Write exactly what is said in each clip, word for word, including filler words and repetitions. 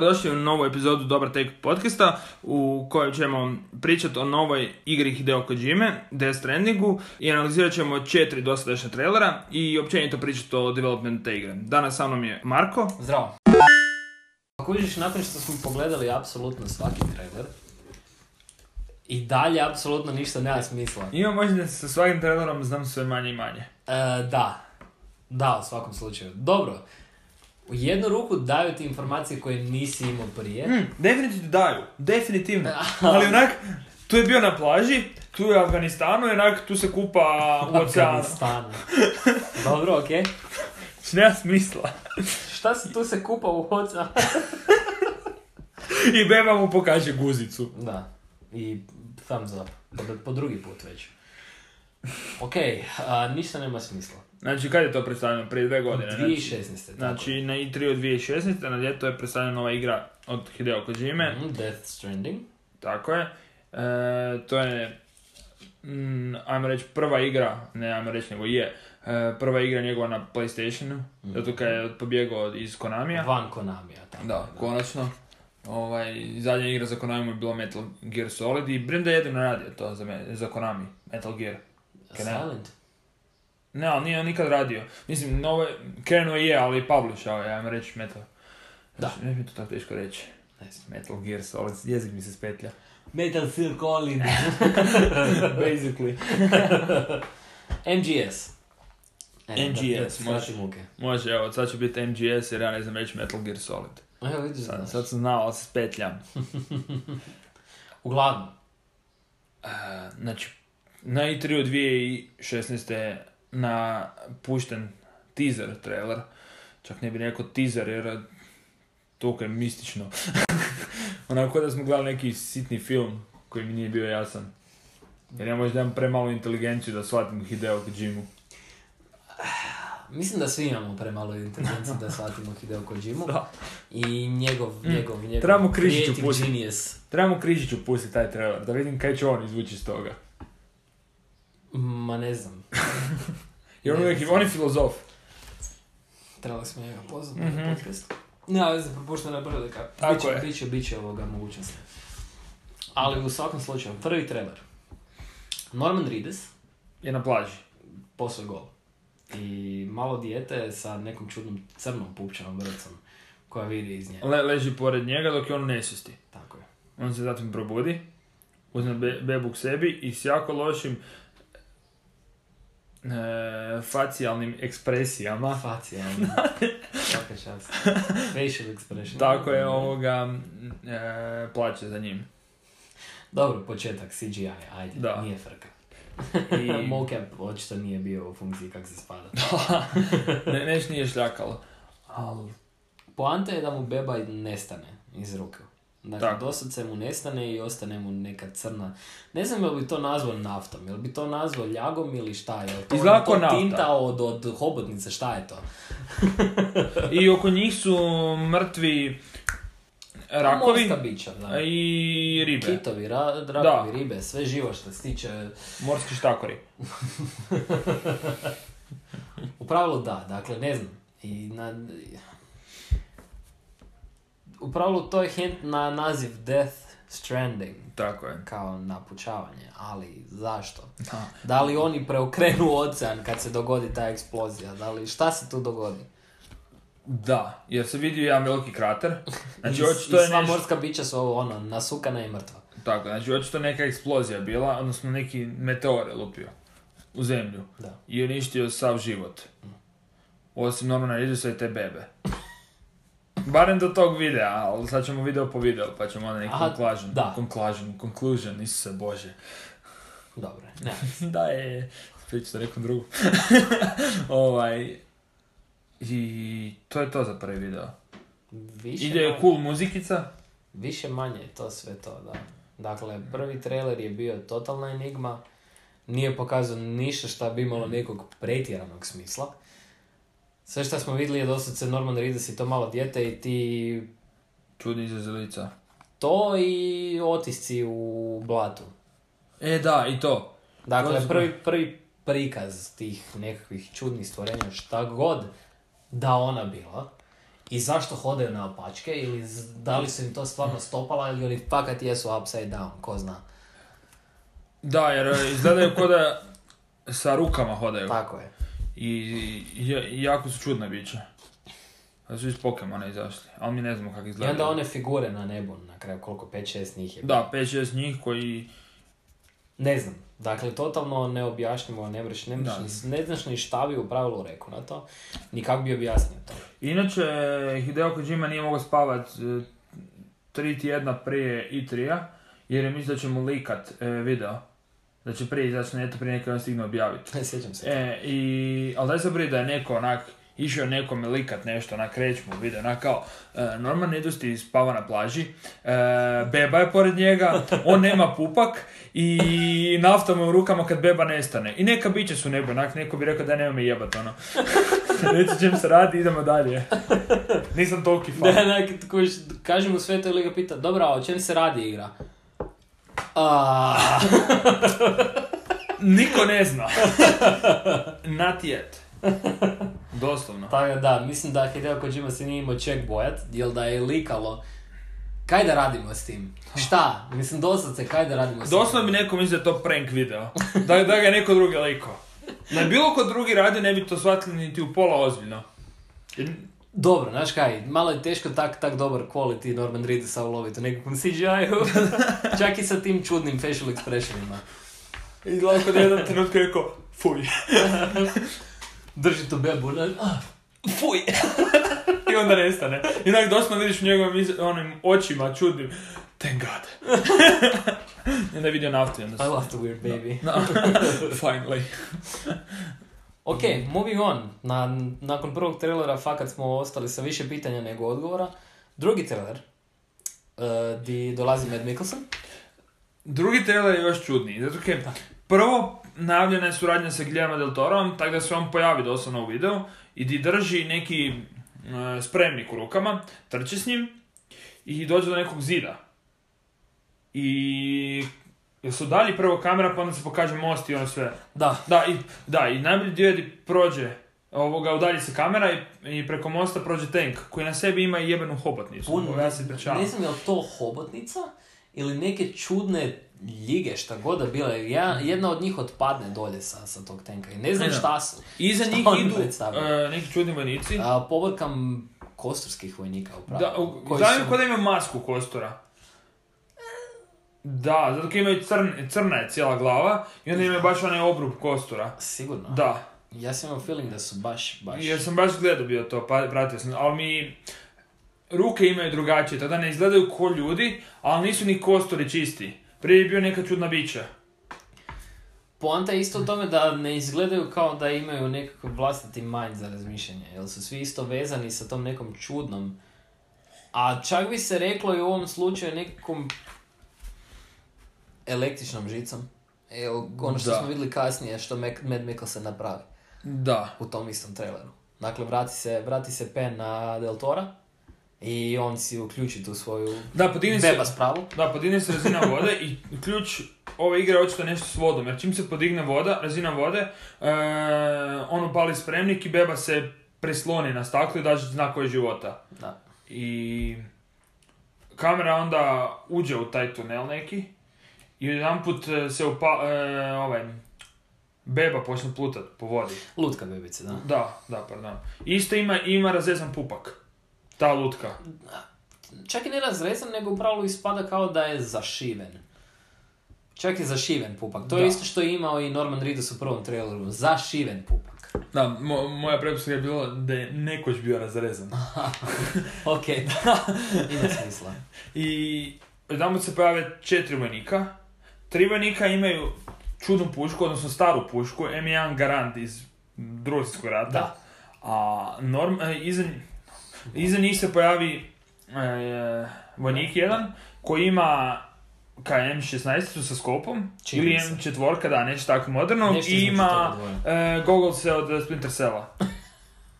dobrodošli u novu epizodu Dobar Take podcasta u kojoj ćemo pričati o novoj igri Hideo Kojime, Death Strandingu, i analizirat ćemo četiri dosadašnja trailera i općenito pričati o developmentu te igre. Danas sa mnom je Marko. Zdravo. Ako vidiš, nakon što smo pogledali apsolutno svaki trailer, i dalje apsolutno ništa nema smisla. Imam možda da sa svakim trailerom znam sve manje i manje. E, da. Da, u svakom slučaju. Dobro. U jednu ruku daju ti informacije koje nisi imao prije. Mm, definitivno daju. Definitivno. Ali onak, tu je bio na plaži, tu je u Afganistanu i onak tu se kupa u oceanu. Afganistanu. Dobro, okej. Okay. Nema smisla. Šta se tu se kupa u oceanu? I beba mu pokaže guzicu. Da. I thumbs up. Po, po drugi put već. Okej, okay, ništa nema smisla. Znači, kad je to predstavljeno? Prije dve godine? dvije tisuće šesnaeste. Znači, na i tri od dvije tisuće šesnaeste, na ljeto je predstavljena nova igra od Hideo Kojime. Mm, Death Stranding. Tako je. E, to je, mm, ajmo reći, prva igra, ne ajmo reći, nego je, e, prva igra njegova na PlayStationu, mm. zato kad je pobjegao iz Konamija. Van Konamija, tako. Da, konačno. Ovaj, zadnja igra za Konami je bila Metal Gear Solid i Brenda je jedino radio to za, me, za Konami, Metal Gear. Silent? Ne, ali nije on nikad radio. Mislim, nove, krenuo je, ali publishao je, ajmo reći, Metal. Da. Ne mi to tako teško reći. Metal Gear Solid, jezik mi se spetlja. Metal Gear Solid. Basically. M G S. E, M G S, da, da, može. Može, evo, sad će biti M G S jer ja ne znam reći Metal Gear Solid. Evo, vidiš, sad, sad sam znao, ali se spetljam. Uglavnom. Uh, znači, na i tri od dvije tisuće šesnaeste na pušten teaser trailer. Čak ne bi rekao teaser jer toliko je mistično. Onako da smo gledali neki sitni film koji mi nije bio jasan. Jer ja možda imam premalu inteligenciju da shvatim Hideo Kojimu. Mislim da svi imamo premalo inteligenciju da shvatimo Hideo Kojimu. I njegov, mm. njegov, njegov Trebamo Križiću pustiti. Genius. Trebamo Križiću pustiti taj trailer, da vidim kaj će on izvući iz toga. Ma ne znam. Jer on, uvijek, on je filozof. Trebali smo njega pozvati mm-hmm. na podcast. Ne, ali znam, propuštena prilika. Tako biće, je. Biće, biće ovoga mogućnosti. Ali u svakom slučaju, prvi trailer. Norman Reedus je na plaži. Posve gol. I malo dijete sa nekom čudnom crnom pupčanom vrcom koja vidi iz nje. Le, leži pored njega dok je on u nesvijesti. Tako je. On se zatim probudi, uzme be, bebu k sebi i s jako lošim e, facijalnim ekspresijama. Facijalnim. Svaka čast. Facial expression. Tako je, ovoga e, plaće za njim. Dobro, početak C G I, ajde, da. Nije frka. I... Mocap očito nije bio u funkciji kako se spada. ne, neš nije šljakalo. Al... Poanta je da mu beba nestane iz ruke. Dakle, dosad mu nestane i ostane mu neka crna... Ne znam je li bi to nazvao naftom, je li bi to nazvao ljagom ili šta je? To, Izgleda to nafta. Tinta od, od hobotnice, šta je to? I oko njih su mrtvi rakovi. Morska bića, da. I ribe. Kitovi, ra, rakovi, da. Ribe, sve živo što se tiče... Morski štakori. U pravilu da, dakle, ne znam. I na... U pravilu to je hint na naziv Death Stranding. Tako je. Kao napučavanje, ali zašto? Da. Da li oni preokrenu ocean kad se dogodi ta eksplozija? Da li, šta se tu dogodi? Da, jer se vidi jedan veliki krater. Znači, I, očito i je sva neš... morska bića su ono, nasukana i mrtva. Tako, znači očito neka eksplozija bila, odnosno neki meteor je lupio u zemlju. Da. I uništio sav život. Osim Normana Reedusa i te bebe. Barem do tog videa, ali sad ćemo video po video, pa ćemo onda neki conclusion. Da. Conclusion, conclusion, Isuse Bože. Dobro, ne. Da je, priču sa nekom drugu. ovaj, i to je to za prvi video. Više Ide manje, cool muzikica. Više manje je to sve to, da. Dakle, prvi trailer je bio totalna enigma. Nije pokazao ništa šta bi imalo nekog pretjeranog smisla. Sve što smo vidjeli je dosad Norman Reedus i to malo dijete i ti... Čudni izraz lica. To i otisci u blatu. E da, i to. Dakle, prvi, prvi prikaz tih nekakvih čudnih stvorenja, šta god da ona bila, i zašto hodaju na opačke, ili da li su im to stvarno stopala, ili oni fakat jesu upside down, ko zna. Da, jer izgledaju ko da sa rukama hodaju. Tako je. I, i jako su čudne biće. Da su iz Pokemona izašli, ali mi ne znamo kako izgledaju. I onda one figure na nebu, na kraju koliko, pet šest njih je. Da, pet šest njih koji... Ne znam, dakle, totalno neobjašnjivo, ne, breš, ne, breš, ne znaš ni šta bi u pravilu rekao na to, ni kako bi objasnio to. Inače, Hideo Kojima nije mogao spavat e, tri tjedna prije i trija, jer je mislio da će mu likat e, video. Da će prije izaći na neto prije nekada stigne objaviti. Ne sjećam se. E, i, ali daj se brije da je neko onak išao nekome likat nešto, onak krećmu video, onak kao e, Norman Reedus spava na plaži, e, beba je pored njega, on nema pupak i nafta mu u rukama kad beba nestane. I neka biće su nebo, onak neko bi rekao da nema me jebat, ono. Reći čem se radi, idemo dalje. Nisam toliki fan. Da, da, kaži mu sve to ili ga pita, dobro, a o čem se radi igra? A... Niko ne zna. Not yet. Doslovno. Tako da, mislim da Hideo Kojima se nije imao ček bojat, jer da je likalo. Kaj da radimo s tim? Šta? Mislim, doslovce, kaj da radimo s tim? Doslovno bi neko mislio da je to prank video. Da, da ga je neko drugi likao. Da je bilo ko drugi radio, ne bi to shvatili niti u pola ozbiljno. Dobro, znaš kaj, malo je teško tak, tak dobar quality Norman Reedusa uloviti u nekakvom C G I-u. Čak i sa tim čudnim facial expressionima. I gledam kod jedan trenutku rekao, fuj. Drži tu bebu, ne? Fuj. I onda nestane. I onak doslovno vidiš u njegovim onim očima čudnim, thank God. I onda je vidio naftu. I love the weird baby. No. Finally. Ok, moving on. Na, nakon prvog trailera fakat smo ostali sa više pitanja nego odgovora. Drugi trailer, uh, di dolazi Mads Mikkelsen. Drugi trailer je još čudniji. Zato kaj, prvo, najavljena je suradnja sa Guillermo del Torom, tako da se on pojavi doslovno u videu i di drži neki uh, spremnik u rukama, trče s njim i dođe do nekog zida. I... jer su dalje prvo kamera, pa onda se pokaže most i ono sve. Da. Da, i, da, i najbolji dio je di prođe, ovoga, udalji se kamera i, i preko mosta prođe tank, koji na sebi ima i jebenu hobotnicu. Pun, ja se ne znam je li to hobotnica ili neke čudne ljige, šta god da bile. Ja, jedna od njih otpadne dolje sa, sa tog tanka i ne znam ne, šta su. Iza njih idu uh, neki čudni vojnici. A, povrkam kosturskih vojnika upravo. Da, u, znam su... kod da ima masku kostura. Da, zato kad imaju crn, crna je cijela glava i onda imaju baš onaj obrub kostura. Sigurno? Da. Ja sam imao feeling da su baš, baš... Jer sam baš gledao bio to, pa pratio sam, ali mi ruke imaju drugačije, tada ne izgledaju ko ljudi, ali nisu ni kosturi čisti. Prije je bio neka čudna bića. Poanta je isto u tome da ne izgledaju kao da imaju nekakav vlastiti mind za razmišljanje, jer su svi isto vezani sa tom nekom čudnom. A čak bi se reklo i u ovom slučaju nekakvom električnom žicom. Evo, ono što da. smo vidjeli kasnije, što Mads Mikkelsen napravi. Da. U tom istom traileru. Dakle, vrati se, vrati se pen na Del Tora i on si uključi tu svoju da, beba spravu. Da, podigne se razina vode i ključ ove igre je očito nešto s vodom. Jer čim se podigne voda, razina vode, e, on upali spremnik i beba se prisloni na staklu i daže znak koji je života. Da. I kamera onda uđe u taj tunel neki. I jedanput se upa, e, ovaj, beba počne plutat po vodi. Lutka bebice, da. Da, da, pardon. Isto ima, ima razrezan pupak. Ta lutka. Čak i ne razrezan, nego u pravilu ispada kao da je zašiven. Čak je zašiven pupak. To da. je isto što je imao i Norman Reedus u prvom traileru. Zašiven pupak. Da, mo, moja pretpostavka je bila da je nekoć bio razrezan. Ok, da. Ima smisla. I jedanput se pojave četiri vojnika. Tri vojnika imaju čudnu pušku, odnosno staru pušku, em jedan Garand iz Drugog svjetskog rata. Da. A norm, e, iza, iza njih se pojavi e, vojnik jedan koji ima kaj em šesnaest sa skopom, Čim ili em četiri, da, nešto tako moderno, nešto i ima e, gogolse od Splinter Cella.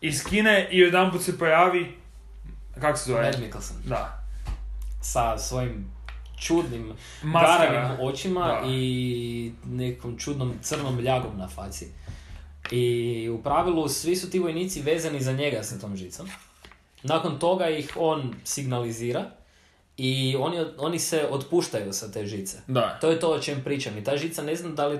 Iz Kine i jedanput se pojavi, kako se zove? Mads Mikkelsen. Da. Sa svojim čudnim garavim očima da. I nekom čudnom crnom ljagom na faci. I u pravilu svi su ti vojnici vezani za njega sa tom žicom. Nakon toga ih on signalizira i oni, oni se otpuštaju sa te žice. Da. To je to o čem pričam. I ta žica, ne znam da li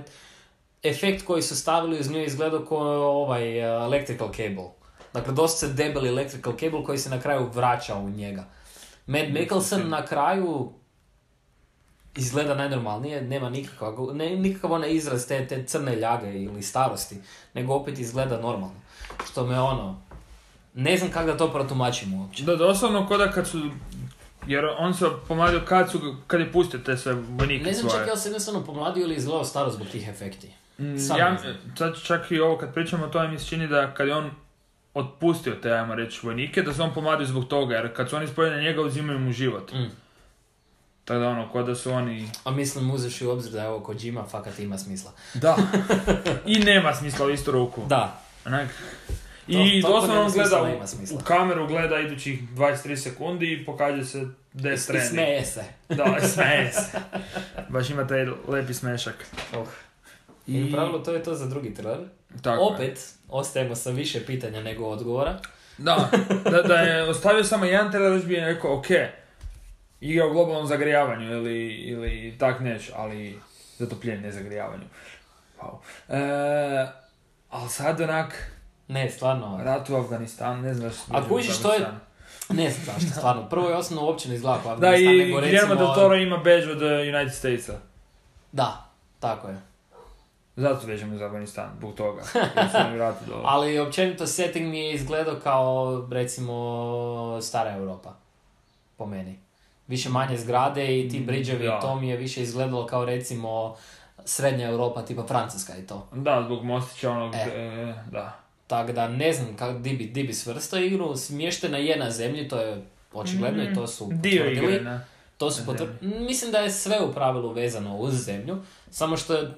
efekt koji su stavili uz nju izgledao kao ovaj uh, electrical cable. Dakle, dosta se debeli electrical cable koji se na kraju vraća u njega. Matt Mikkelsen na kraju izgleda najnormalnije, nema nikakav, ne, nikakav onaj izraz te, te crne ljage ili starosti, nego opet izgleda normalno. Što me ono, ne znam kako da to protumačim uopće. Da, doslovno koda kad su, jer on se pomladio kad, su, kad je pustio te sve vojnike. Ne znam svoje. čak ja se jednostavno pomladio ili izgledao staro zbog tih efekti. Sam Ja, ne znam. sad čak i ovo kad pričamo o tome mi se čini da kad je on otpustio te, ajmo reći, vojnike, da se on pomladio zbog toga, jer kad su oni spojeni na njega uzimaju mu život. Mm. Tako da ono, ko da su oni... A mislim, uzeš u obzir da je ovo Kojima, fakat ima smisla. Da. I nema smisla u istu ruku. Da. Onak. To- I to doslovno nema on smisla, gleda nema smisla. u, u kameru, gleda idućih dvadeset tri sekundi i pokaže se Death I Stranding. smeje se. Da, smeje se. Baš ima taj lepi smešak. Oh. I I u pravilu to je to za drugi trailer. tako je. Opet, ostajemo sa više pitanja nego odgovora. Da, da, da je ostavio samo jedan trailer, još bi je rekao, ok, igra o globalnom zagrijavanju ili, ili tak neš, ali zatopljenje, ne zagrijavanju. Wow. E, ali sad onak, Ne, stvarno. rat u Afganistanu, ne znaš... A kužiš što je- Ne znam zašto, stvarno. Prvo je osnovno uopće ne izgleda kao Da, Afganistan, i nego Guillermo recimo... del Toro ima badge od uh, United Statesa. Da, tako je. Zato vežemo za Afganistan, zbog toga. Jer su oni vrati dole. Ali općenito setting mi je izgledao kao, recimo, stara Europa. Po meni. Više manje zgrade i ti bridževi Da. i to mi je više izgledalo kao, recimo, srednja Europa, tipa Francuska i to. Da, zbog mostića onog, E. e, da. Tako da ne znam kako di bi, di bi svrstao igru. Smještena je na zemlji, to je očigledno i to su Dio potvrdili. igre, ne. To su na potvrdili. Mislim da je sve u pravilu vezano uz zemlju, samo što je,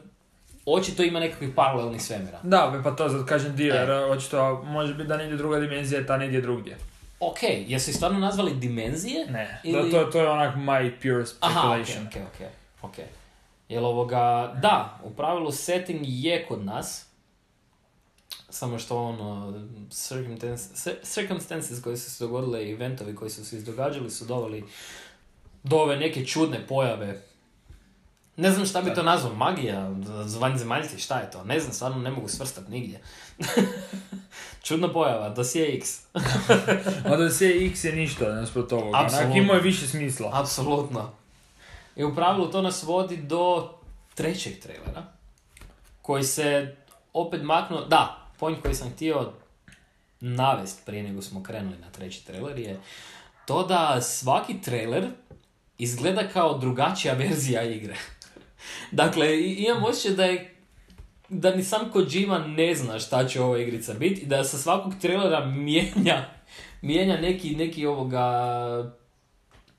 očito ima nekakvih paralelnih svemira. Da, pa to zato kažem dio, E. jer očito može biti da negdje druga dimenzija, ta negdje drugdje. Ok, jesu ih stvarno nazvali dimenzije? Ne, Ili- to, to, to je onak my pure Aha, ok, speculation. ok, ok, ok. Jel ovoga, da, u pravilu setting je kod nas, samo što ono, circumstances, circumstances koje su se dogodile i eventovi koji su se izdogađali su doveli do ove neke čudne pojave. Ne znam šta bi to nazvao, magija, vanzemaljci, šta je to? Ne znam, stvarno ne mogu svrstati nigdje. Čudna pojava, dosije X. Onda se X je ništa, nasprot ovoga. Onak Apsolutno. imao je više smisla. Apsolutno. I u pravilu to nas vodi do trećeg trailera, koji se opet maknuo, da, point koji sam htio navest prije nego smo krenuli na treći trailer je to da svaki trailer izgleda kao drugačija verzija igre. Dakle, i- imam osjećaj da je da ni sam Kojima ne zna šta će ova igrica biti i da sa svakog trailera mijenja, mijenja neki, neki ovoga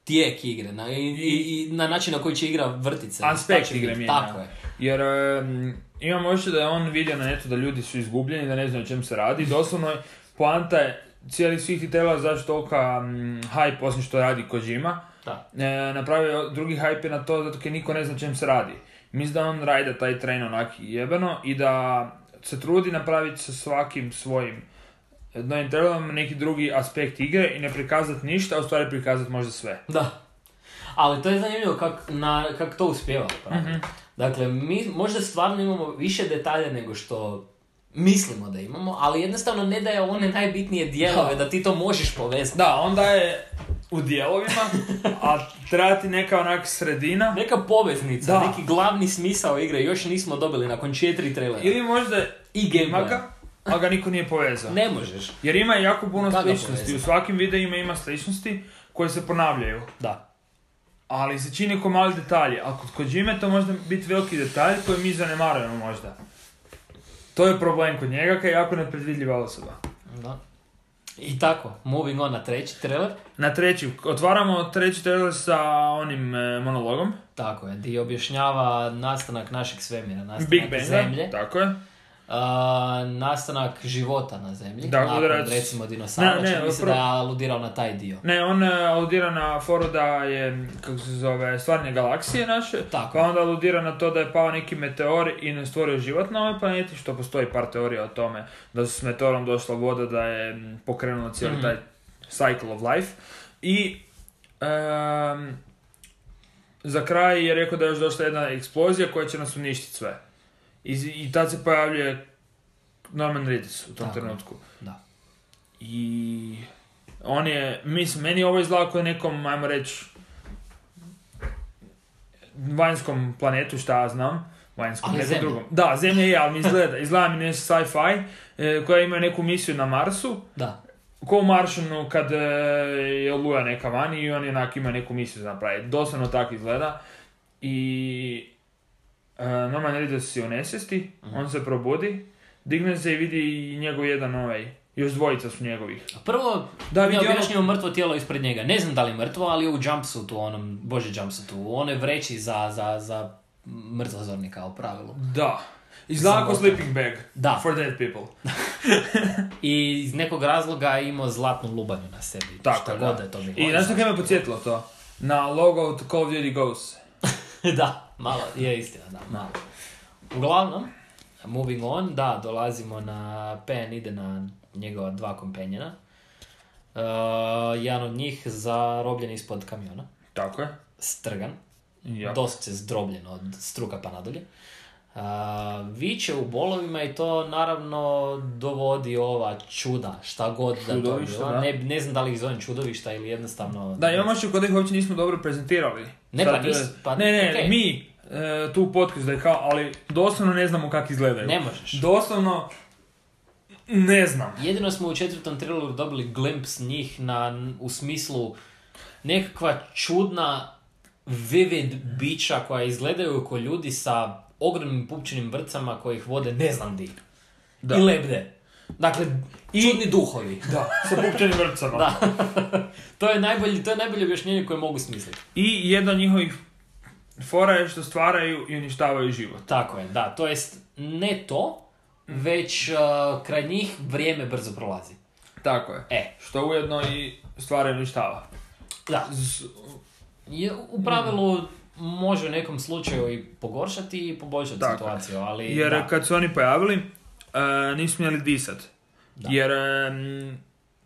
tijek igre na, i, i, i na način na koji će igra vrtit se. Aspekt Šta će igre biti, mijenja. Tako je. Jer um, imam osjećaj da je on vidio na netu da ljudi su izgubljeni, da ne znaju o čem se radi. Doslovno je, poanta je cijeli svih tih trailera zašto tolika um, hype, osim što radi Kojima. Da. E, napravio drugi hype je na to zato jer niko ne zna o čem se radi. Mislim da on rajda taj train onak jebeno i da se trudi napraviti sa svakim svojim novim trailerom neki drugi aspekt igre i ne prikazati ništa, a u stvari prikazati možda sve. Da. Ali to je zanimljivo kako kak to uspijeva. Mhm. Dakle, mi možda stvarno imamo više detalja nego što mislimo da imamo, ali jednostavno ne daje one najbitnije dijelove da. Da. ti to možeš povezati. Da, onda je u dijelovima, a treba ti neka onak sredina. Neka poveznica, Da. neki glavni smisao igre još nismo dobili nakon četiri trailera. Ili možda I ima gameplaya. ga, ali ga niko nije povezao. Ne možeš. Jer ima jako puno Kako sličnosti. povezati? U svakim videima ima sličnosti koje se ponavljaju. Da. Ali se čini ko mali detalji. A kod Kojime to možda biti veliki detalj koji mi zanemarujemo možda. To je problem kod njega, kaj je jako nepredvidljiva osoba. Da. I tako, moving on na treći trailer. Na treći, otvaramo treći trailer sa onim e, monologom. Tako je, di objašnjava nastanak našeg svemira, nastanak Big Bang, zemlje. tako je. A, nastanak života na zemlji, Da, nakon udarac- recimo dinosaura, Ne, ne, čini mi se prvo- da je aludirao na taj dio. Ne, on e, aludira na foru da je, kako se zove, stvaranje galaksije naše. Tako. Pa onda aludira na to da je pao neki meteor i ne stvorio život na ovoj planeti, što postoji par teorija o tome. Da su s meteorom došla voda, da je m, pokrenula cijeli Mhm. taj Cycle of Life. I um, za kraj je rekao da je još došla jedna eksplozija koja će nas uništiti sve. I, i tad se pojavljuje Norman Reedus u tom Tako, trenutku. da. I on je, mislim, meni ovo izgleda kao nekom, ajmo reći, vanjskom planetu, šta ja znam, vanjskom, Ali nekom Zemlja. drugom. Da, Zemlja je, ali mi izgleda, izgleda mi nešto sci-fi, e, koja ima neku misiju na Marsu, Da. ko u Maršanu kad e, je oluja neka vani i on onak ima neku misiju za napraviti. Doslovno tako izgleda. I e, Norman Reedus je u nesvijesti, Mhm. on se probudi, digne se i vidi i njegov jedan ovaj, još dvojica su njegovih. Prvo, Da, da, vidi ono- objašnjeno mrtvo tijelo ispred njega. Ne znam da li je mrtvo, ali je u jumpsuitu, onom, bože jumpsuitu, u onoj vreći za, za, za mrtvozornika u pravilu. Da. Izgleda kao Samo- sleeping bag. Da. For dead people. I iz nekog razloga je imao zlatnu lubanju na sebi. Tako, šta da. god da je to bilo. I znaš što kaj me podsjetilo to? Na logo od Call of Duty Ghosts. Da, malo, je istina, da, malo. Uglavnom, moving on, da, dolazimo na, Pen ide na njegova dva kompenjena. Uh, jedan od njih zarobljen ispod kamiona, Tako je. strgan, Ja. dosta zdrobljen od struka pa nadalje. Uh, viče u bolovima i to naravno dovodi ova čuda, šta god da to Čudovišta, bila. da. Ne, ne znam da li ih zovem čudovišta ili jednostavno... Da, imamo što kod ih uopće nismo dobro prezentirali. Ne, pa Sad, nis- e, pa- ne, ne, okej. mi, e, tu u podcastu da je kao, ali doslovno ne znamo kako izgledaju. Ne možeš. Doslovno, ne znam. Jedino smo u četvrtom traileru dobili glimpse njih na, u smislu nekakva čudna vivid bića koja izgledaju kao ljudi sa ogromnim pupčanim vrpcama koji ih vode ne znam di. Da. I lebde. Dakle, čudni duhovi. Da, sa pupčanim vrpcama. Da. to je najbolje, to je najbolje objašnjenje koje mogu smisliti. I jedna od njihovih fora je što stvaraju i uništavaju život. Tako je, da. To jest, ne to, već uh, kraj njih vrijeme brzo prolazi. Tako je. E. Što ujedno i stvaraju i uništava. Da. Z- Je, u pravilu može u nekom slučaju i pogoršati i poboljšati Tako. situaciju, ali Jer da. kad su oni pojavili, uh, nisu smjeli disat. Da. Jer um,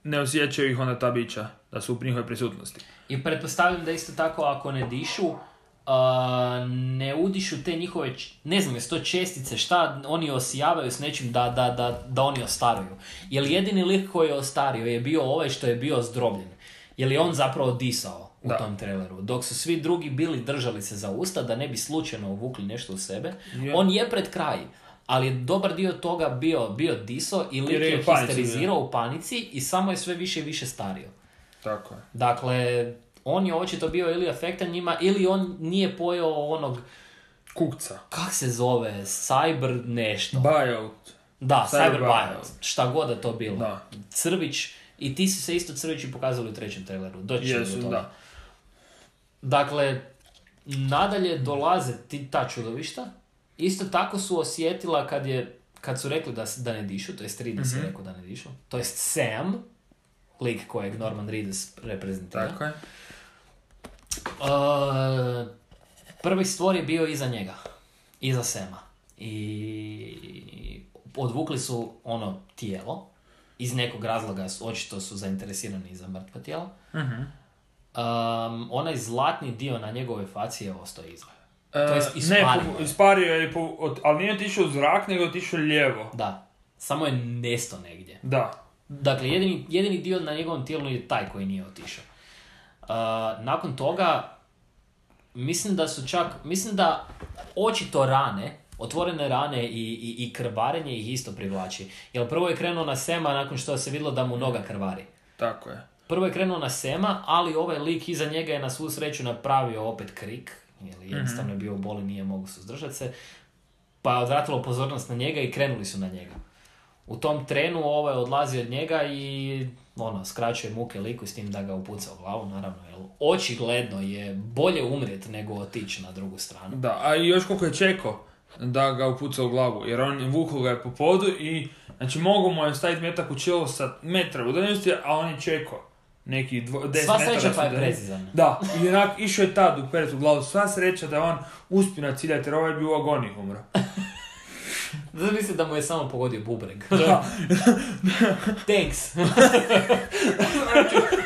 ne osjećaju ih onda ta bića, da su u njihovoj prisutnosti. I pretpostavljam da isto tako ako ne dišu, uh, ne udišu te njihove, č- ne znam, jesu to čestice, šta oni osijavaju s nečim da, da, da, da oni ostaruju. Jer jedini lik koji je ostario je bio ovaj što je bio zdrobljen. Jer je on zapravo disao u Da. tom traileru. Dok su svi drugi bili držali se za usta da ne bi slučajno uvukli nešto u sebe. Je. On je pred kraj, ali je dobar dio toga bio, bio diso i lik Jer je je u panici histerizirao u panici i samo je sve više i više stario. Tako je. Dakle, on je očito bio ili afektan njima, ili on nije pojeo onog, Kukca. kak se zove, cyber nešto. Buyout. da, cyber cyber buyout. buyout, šta god da to bilo. Da. Crvić, i ti su se isto crvići pokazali u trećem traileru. Doći ćemo Jesu, do toga. da. Dakle, nadalje dolaze ti, ta čudovišta. Isto tako su osjetila kad je, kad su rekli da, s- da ne dišu, to jest Reedus Mhm. je rekao da ne dišu, to jest Sam, lik kojeg Norman Reedus reprezentira. Tako je. Uh, prvi stvor je bio iza njega, iza Sema. I odvukli su ono tijelo, iz nekog razloga su, očito su zainteresirani za mrtva tijela. Mhm. Um, onaj zlatni dio na njegove faci je ostao iza. E, To jest ne, ispario po- je. ispario je, po, od, ali nije otišao u zrak, nego je otišao lijevo. Da, samo je nesto negdje. Da. Dakle, jedini, jedini dio na njegovom tijelu je taj koji nije otišao. Uh, nakon toga, mislim da su čak, mislim da očito rane, otvorene rane i, i, i krvarenje ih isto privlači. Jer prvo je krenuo na Sema nakon što se vidjelo da mu noga krvari. Tako je. Prvo je krenuo na Sema, ali ovaj lik iza njega je na svu sreću napravio opet krik, jer jednostavno je bio u boli, nije mogu suzdržati se, pa je odvratilo pozornost na njega i krenuli su na njega. U tom trenu ovaj odlazi od njega i ono, skraćuje muke liku s tim da ga upuca u glavu, naravno, jer očigledno je bolje umrijeti nego otići na drugu stranu. Da, a i još koliko je čekao da ga upuca u glavu, jer on vukao ga je po podu i, znači, mogu mu je staviti metak u čelo sa metra udaljenosti, a on je čekao neki dvo, deset Sva metara. sreća pa je su- precizan. Da, i onak išao je tad u peret u glavu, sva sreća da je on uspio naciljati, jer ovaj je bio u agoniji umro. Da misli da mu je samo pogodio bubreg. Da. Thanks.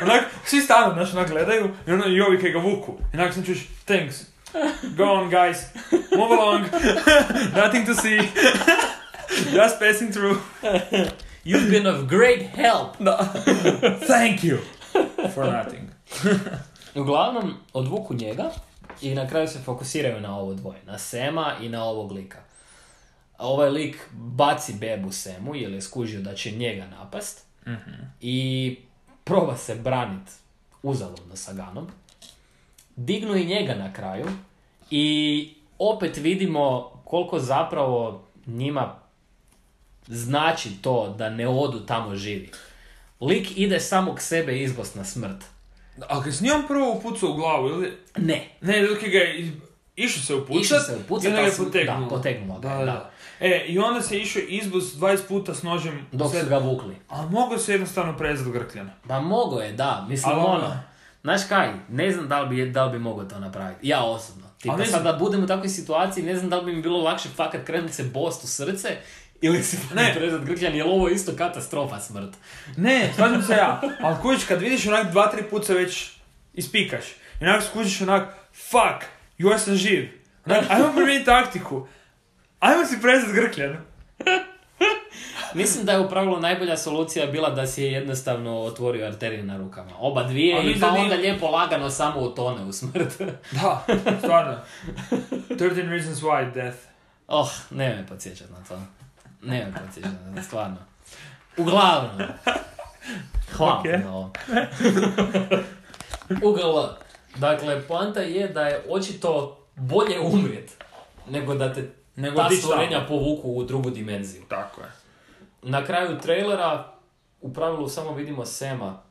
Onak, svi stanu, znaš, onak gledaju i ono i ovi kaj ga vuku. I onak sam čuš, thanks. Go on, guys. Move along. Nothing to see. Just passing through. You've been of great help. Da. Thank you. For nothing. Uglavnom, odvuku njega i na kraju se fokusiraju na ovo dvoje. Na Sema i na ovog lika. A ovaj lik baci bebu Semu jer je skužio da će njega napast. Mm-hmm. I proba se branit uzaludno sa Ganom. Dignu i njega na kraju i opet vidimo koliko zapravo njima znači to da ne odu tamo živi. Lik ide samo k sebe izbost na smrt. Ali kad si njom prvo upucao u glavu, ili... Ne. Ne, dok je ga iz... išao se upucat, Išao se upucat, i onda ga je ali su- potegnulo. da, potegnulo ga, Da, da. da. E, i onda se išao izbus dvadeset puta s nožem. Dok sve- su ga vukli. Ali mogao se jednostavno prezati grkljana. Da, mogo je, da. Mislim, Ali ono- ono... Znaš kaj, ne znam da li bi, da li bi mogao to napraviti. Ja osobno. Tipa Ali ne sad znam- da budem u takvoj situaciji, ne znam da li bi mi bilo lakše fakat krenut se bost u srce ili si Ne. prezat grkljan, jer ovo je isto katastrofa smrt. Ne, slažem se ja. Ali kužiš, kad vidiš onak dva, tri puta već ispikaš. I onak skužiš onak, fuck, još sam živ. Onak, ajmo promijeniti taktiku. Ajmo si prezat grkljan. Mislim da je u pravilu najbolja solucija bila da si je jednostavno otvorio arterije na rukama. Oba dvije Ali i mislim pa da onda nije- lijepo lagano samo utone u smrt. Da, stvarno. thirteen reasons why death. Oh, ne me podsjećat na to. Ne me podsjećat na to, stvarno. Uglavnom. Hvala Ok. na ovo. Uglavnom. Dakle, poanta je da je očito bolje umrijet nego da te Nego ta otići stvorenja tamo. povuku u drugu dimenziju. Tako je. Na kraju trailera u pravilu samo vidimo Sema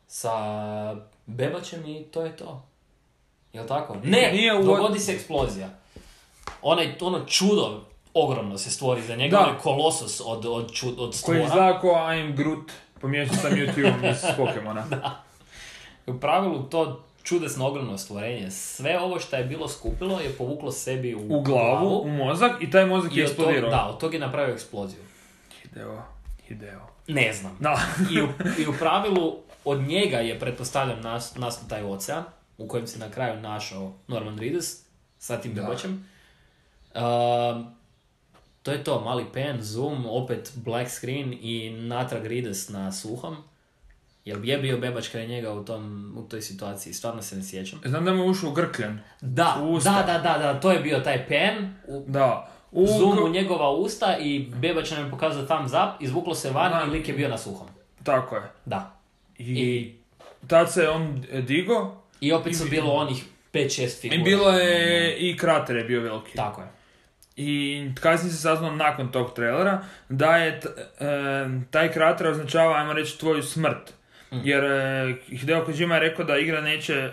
sa bebačem i to je to. Jel tako? Ne, Nije u- dogodi se eksplozija. Onaj, ono čudo ogromno se stvori za njega, Da. onaj kolosos od, od, čud, od Koji stvora. izgleda kao I'm Groot, pomiješan sa Mewtwo iz Pokemona. U pravilu to čudesno ogromno stvorenje. Sve ovo što je bilo skupilo je povuklo sebi u, U glavu, u mozak i taj mozak I je od tog, eksplodirao. da, od tog je napravio eksploziju. Hideo, Hideo. Ne znam. Da. I u, I u pravilu od njega je, pretpostavljam, nas, nastao taj ocean u kojem se na kraju našao Norman Reedus sa tim Da. bebačem. Um, to je to, mali pen, zoom, opet black screen i natrag Reedus na suhom. Jel je bio bebač kraj njega u, tom, u toj situaciji? Stvarno se ne sjećam. Znam da mu je ušao u grkljan. Da, U usta. da, da, da, da, to je bio taj pen, u, Da. U... zoom u njegova usta i bebač nam je pokazao thumbs up, izvuklo se van Da. i lik je bio na suhom. Tako je. Da. I, I, tad se on digo i opet su I- bilo onih pet šest figura. i bilo je i krater je bio veliki. Tako je. I kasnije se saznalo nakon tog trailera da je t- e, taj krater označava, ajmo reći, tvoju smrt. Mm. Jer e, Hideo Kojima je rekao da igra neće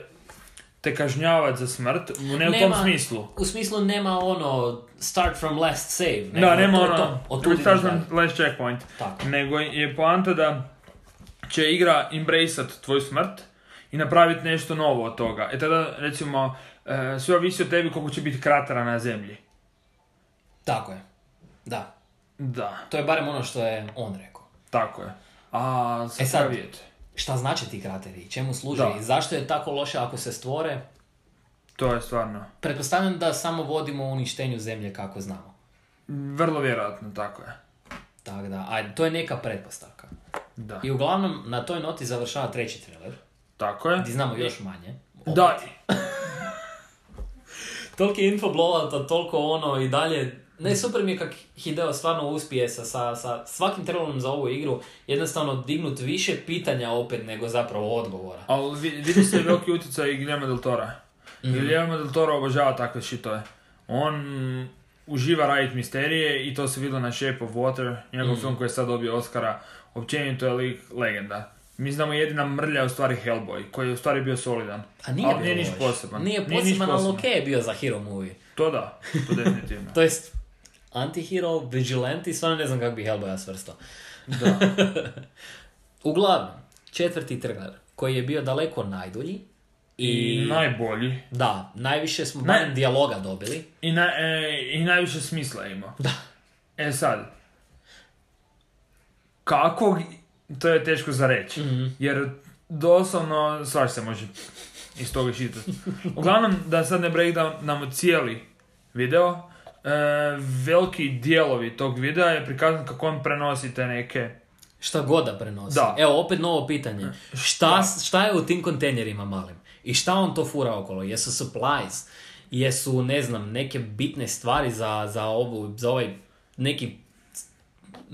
te kažnjavati za smrt, ne u tom Nema- smislu. U smislu nema ono start from last save. Nego Da, nema to je ono, to. Od tuda restart ideš dalje. from last checkpoint. Tako. Nego je poanta da će igra embraceat tvoju smrt i napraviti nešto novo od toga. E tada, recimo, e, sve ovisi od tebi koliko će biti kratera na zemlji. Tako je. Da. Da, To je barem ono što je on rekao. tako je. A E sad- sad vidjeti. Šta znači ti krateri i čemu služe Da. i zašto je tako loše ako se stvore? To je stvarno Pretpostavljam da samo vodimo u uništenju zemlje kako znamo. vrlo vjerojatno, tako je. Tako da, a to je neka pretpostavka. Da, I uglavnom na toj noti završava treći trailer, tako je. gdje znamo još manje. Da, Toliko je info blowout, toliko ono i dalje. Ne, super mi je kak Hideo stvarno uspije sa, sa, sa svakim trailerom za ovu igru jednostavno dignut više pitanja opet nego zapravo odgovora. ali vi- vidi se veliki utjecaj i Guillermo del Tora. Mhm. Guillermo del Toro obožava takve shitove. On uživa raditi misterije i to se vidjelo na Shape of Water, njegov Mhm. film koji je sad dobio Oscara. Općenito je lik legenda. Mi znamo jedina mrlja je u stvari Hellboy, koji je u stvari bio solidan. A nije ali bio nije niš loš. poseban. Nije niš poseban, ali poseban. okej je bio za hero movie. To da, to definitivno. To jest, anti-hero, vigilante, stvarno ne znam kako bi Hellboya svrstao. Da. Uglavnom, četvrti trailer, koji je bio daleko najdulji. I, I, najbolji. da, najviše smo Naj- barem dijaloga dobili. I, na, e, I najviše smisla je imao. Da. E sad, kako, to je teško za reći, Mm-hmm. jer doslovno svaš se može iz toga iščitati. Uglavnom, da sad ne breakdownamo cijeli video, e, veliki dijelovi tog videa je prikazan kako on prenosi te neke... Šta god da prenosi. Da. Evo, opet novo pitanje. Šta, Da. šta je u tim kontejnerima malim? I šta on to fura okolo? Jesu supplies? Jesu, ne znam, neke bitne stvari za, za, ovu, za ovaj neki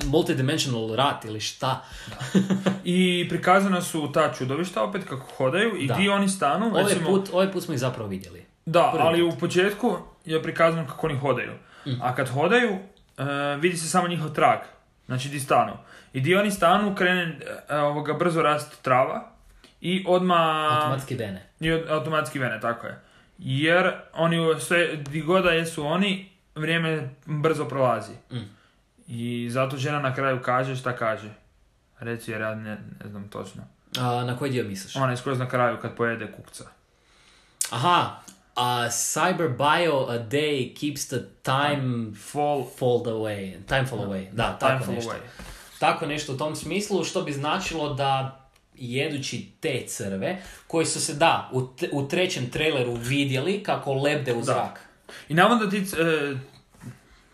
multidimensional rat ili šta? I prikazana su ta čudovišta opet kako hodaju i Da. gdje oni stanu. Ovaj recimo, put, ovaj put smo ih zapravo vidjeli. da, prvi ali u početku je prikazano kako oni hodaju. Mhm. A kad hodaju, e, vidi se samo njihov trag. Znači di stanu. I gdje oni stanu, krene e, ovoga, brzo rast trava i odmah... Automatski vene. I od- automatski vene, tako je. Jer oni u sve, di god da jesu oni, vrijeme brzo prolazi. Mm. I zato žena na kraju kaže šta kaže. Reci jer ja ne, ne znam točno. A, na koji dio misliš? Ona je skroz na kraju kad pojede kukca. Aha, a cyber bio a day keeps the time Fall, fold away. Time fall away. Da, time tako fall nešto. away. Tako nešto u tom smislu, što bi značilo da jedući te crve, koji su se, da, u, t- u trećem traileru vidjeli kako lebde u zrak. I navodno ti c- e,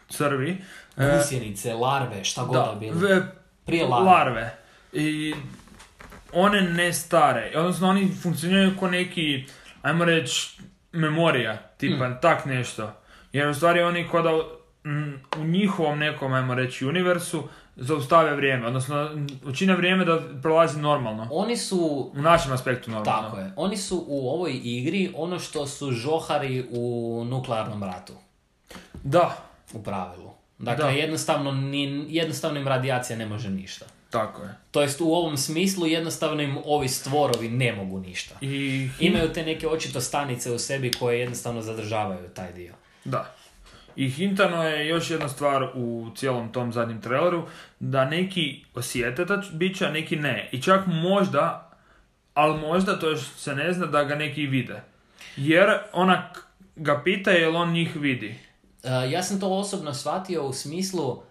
crvi... e, Gusjenice, larve, šta god da, da, bilo. v- Prije larve. larve. I one ne stare. Odnosno oni funkcioniraju kao neki, ajmo reći, memorija, tipa Mm. tak nešto. Jer u stvari oni kao da mm, u njihovom nekom, ajmo reći, universu zaustave vrijeme. Odnosno učine vrijeme da prolazi normalno. Oni su, U našem aspektu normalno. tako je, oni su u ovoj igri ono što su žohari u nuklearnom ratu. Da, U pravilu. Dakle, Da. jednostavno, ni, jednostavno im radijacija ne može ništa. tako je. To jest u ovom smislu jednostavno im ovi stvorovi ne mogu ništa. I Imaju te neke očito stanice u sebi koje jednostavno zadržavaju taj dio. Da. I hintano je još jedna stvar u cijelom tom zadnjem traileru, da neki osjete ta bića, neki ne. I čak možda, ali možda, to još se ne zna, da ga neki vide. Jer ona k- ga pita jel on njih vidi. Uh, ja sam to osobno shvatio u smislu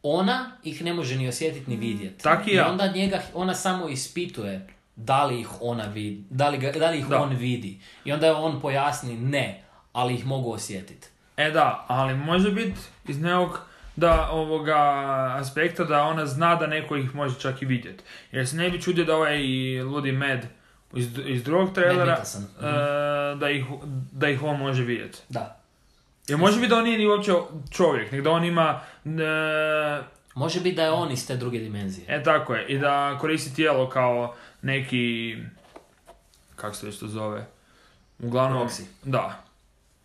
ona ih ne može ni osjetiti ni vidjeti. Tak i ja. I onda njega, ona samo ispituje da li ih ona vidi, da li, ga, da li ih Da. on vidi. I onda je on pojasni ne, ali ih mogu osjetiti. E da, ali može biti iz nekog da ovoga aspekta da ona zna da neko ih može čak i vidjeti. Jer se ne bi čudio da ovaj ludi Med iz, iz drugog trailera, Mikkelsen. Mhm. e, da, ih, da ih on može vidjeti. Da. Jer može biti da on nije ni uopće čovjek, nego da on ima... E, Može biti da je on iz te druge dimenzije. e tako je, i da koristi tijelo kao neki... Kako se već to zove? Uglavnom... Proxy. Da,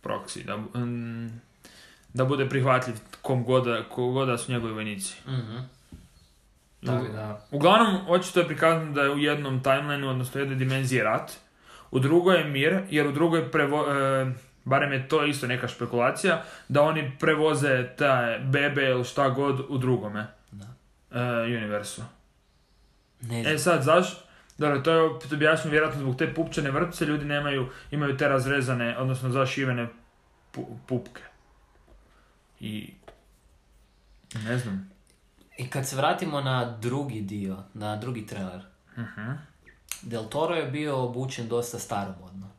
proxy. Da, mm, da bude prihvatljiv kom god, da- ko god da su njegovi vojnici. Mhm. Tako da. Uglavnom, očito je prikazano da je u jednom timelineu, odnosno u jednoj dimenziji rat, u drugoj je mir, jer u drugoj prevo, e, barem je to isto neka špekulacija, da oni prevoze te bebe ili šta god u drugome Da. e, universu. Ne znam. E sad, zašto? Dobro, to je opet objašnjeno vjerojatno zbog te pupčane vrpce, ljudi nemaju, imaju te razrezane, odnosno zašivene pu, pupke. I... ne znam. I kad se vratimo na drugi dio, na drugi trailer, Uh-huh. Del Toro je bio obučen dosta staromodno.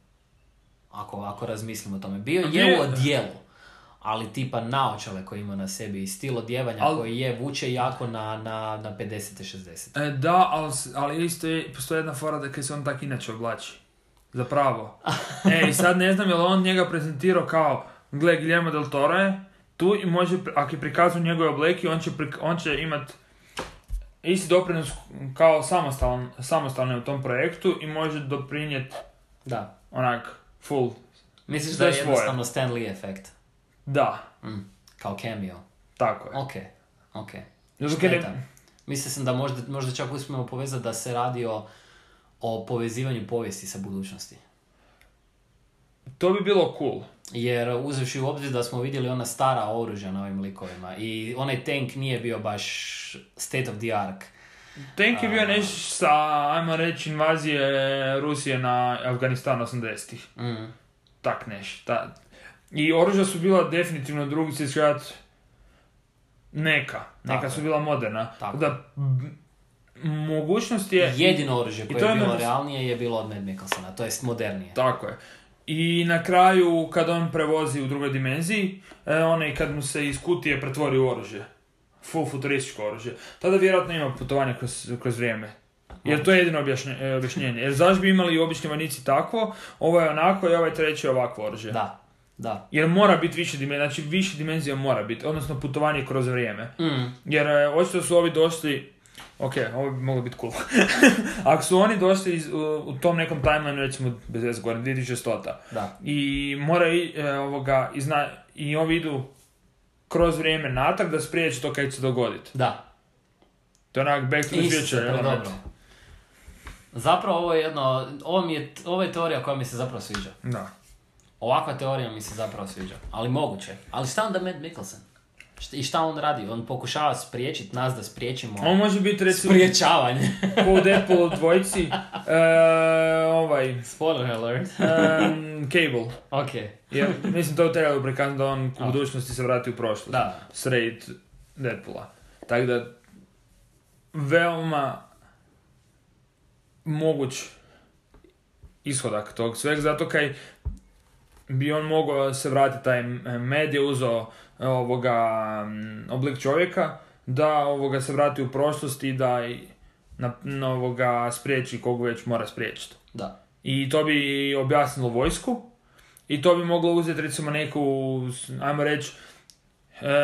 Ako, ako razmislimo o tome. Bio Bio je je- u odjelu, ali tipa naočale koje ima na sebi i stil odjevanja Al- koji je vuče jako na, na, na pedeset šezdeset. E, da, ali, s- ali isto je, postoji jedna fora da kaj se on tak inače oblači. Zapravo. E, i sad ne znam je li on njega prezentirao kao, gle, Guillermo del Toro je tu i može, pri- ako je prikazuju njegove obleki, on će, prik- on će imat isti doprinos kao samostalan, samostalno u tom projektu i može doprinijeti Da. onak full. Misliš Sve da je svoje. jednostavno Stan Lee efekt? Da, Mm. Kao cameo. tako je. Ok, ok. Zato kaj Šteta. ne, Mislio sam da možda, možda čak uspijemo povezati da se radi o, o povezivanju povijesti sa budućnosti. to bi bilo cool. Jer uzevši u obzir da smo vidjeli ona stara oružja na ovim likovima i onaj tank nije bio baš state of the art. Tank je bio A. nešto sa, ajmo reći, invazije Rusije na Afganistan osamdesetih. Mm. Tak neš. Ta. I oružja su bila definitivno drugi svjetski rat Neka. Neka Tako su je. bila moderna. Tako. Da, m- mogućnost je... Jedino oružje i koje to je je bilo meni- realnije je bilo od Mad Mikkelsona, to jest modernije. Tako je. I na kraju, kad on prevozi u drugoj dimenziji, e, onaj kad mu se iz kutije pretvori u oružje. Full futurističko oružje. Tada vjerojatno ima putovanje kroz, kroz vrijeme. Jer to je jedino objašnje, e, objašnjenje. Jer zašto bi imali obični vojnici takvo, ovo je onako i ovaj treći je ovakvo oružje. Da, da. Jer mora biti više dimenzija, znači više dimenzija mora biti, odnosno putovanje kroz vrijeme. Mm. Jer e, očito su ovi došli, ok, ovo bi moglo biti cool. Ako su oni došli iz, u, u tom nekom timelineu, recimo bez veze gore, dvije tisuće stota, Da. i mora i, e, ovoga, i, zna, i ovi idu kroz vrijeme natrag da spriječi to kaj će se dogoditi. Da. To je onak back to the Isto, future. pre element. dobro. Zapravo ovo je jedno, ovo, mi je, ovo je teorija koja mi se zapravo sviđa. Da. Ovakva teorija mi se zapravo sviđa, ali moguće. Ali šta onda Mad Mikkelsen? Šta- I šta on radi? On pokušava spriječiti nas da spriječimo On može biti recimo spriječavanje. po u Deadpoolu dvojici, e, ovaj, Spoiler alert. um, Cable. Ok. Jer, mislim, to je trebalo prikazati da on u A. budućnosti se vrati u prošlost. Da. Sred Deadpoola. Tako da, veoma moguć ishodak tog sveg, zato kaj bi on mogao se vratiti, taj med je uzeo ovoga m, oblik čovjeka, da ovoga se vrati u prošlost i da i na, na ovoga spriječi koga već mora spriječiti. Da. I to bi objasnilo vojsku i to bi moglo uzeti recimo neku, ajmo reći, e,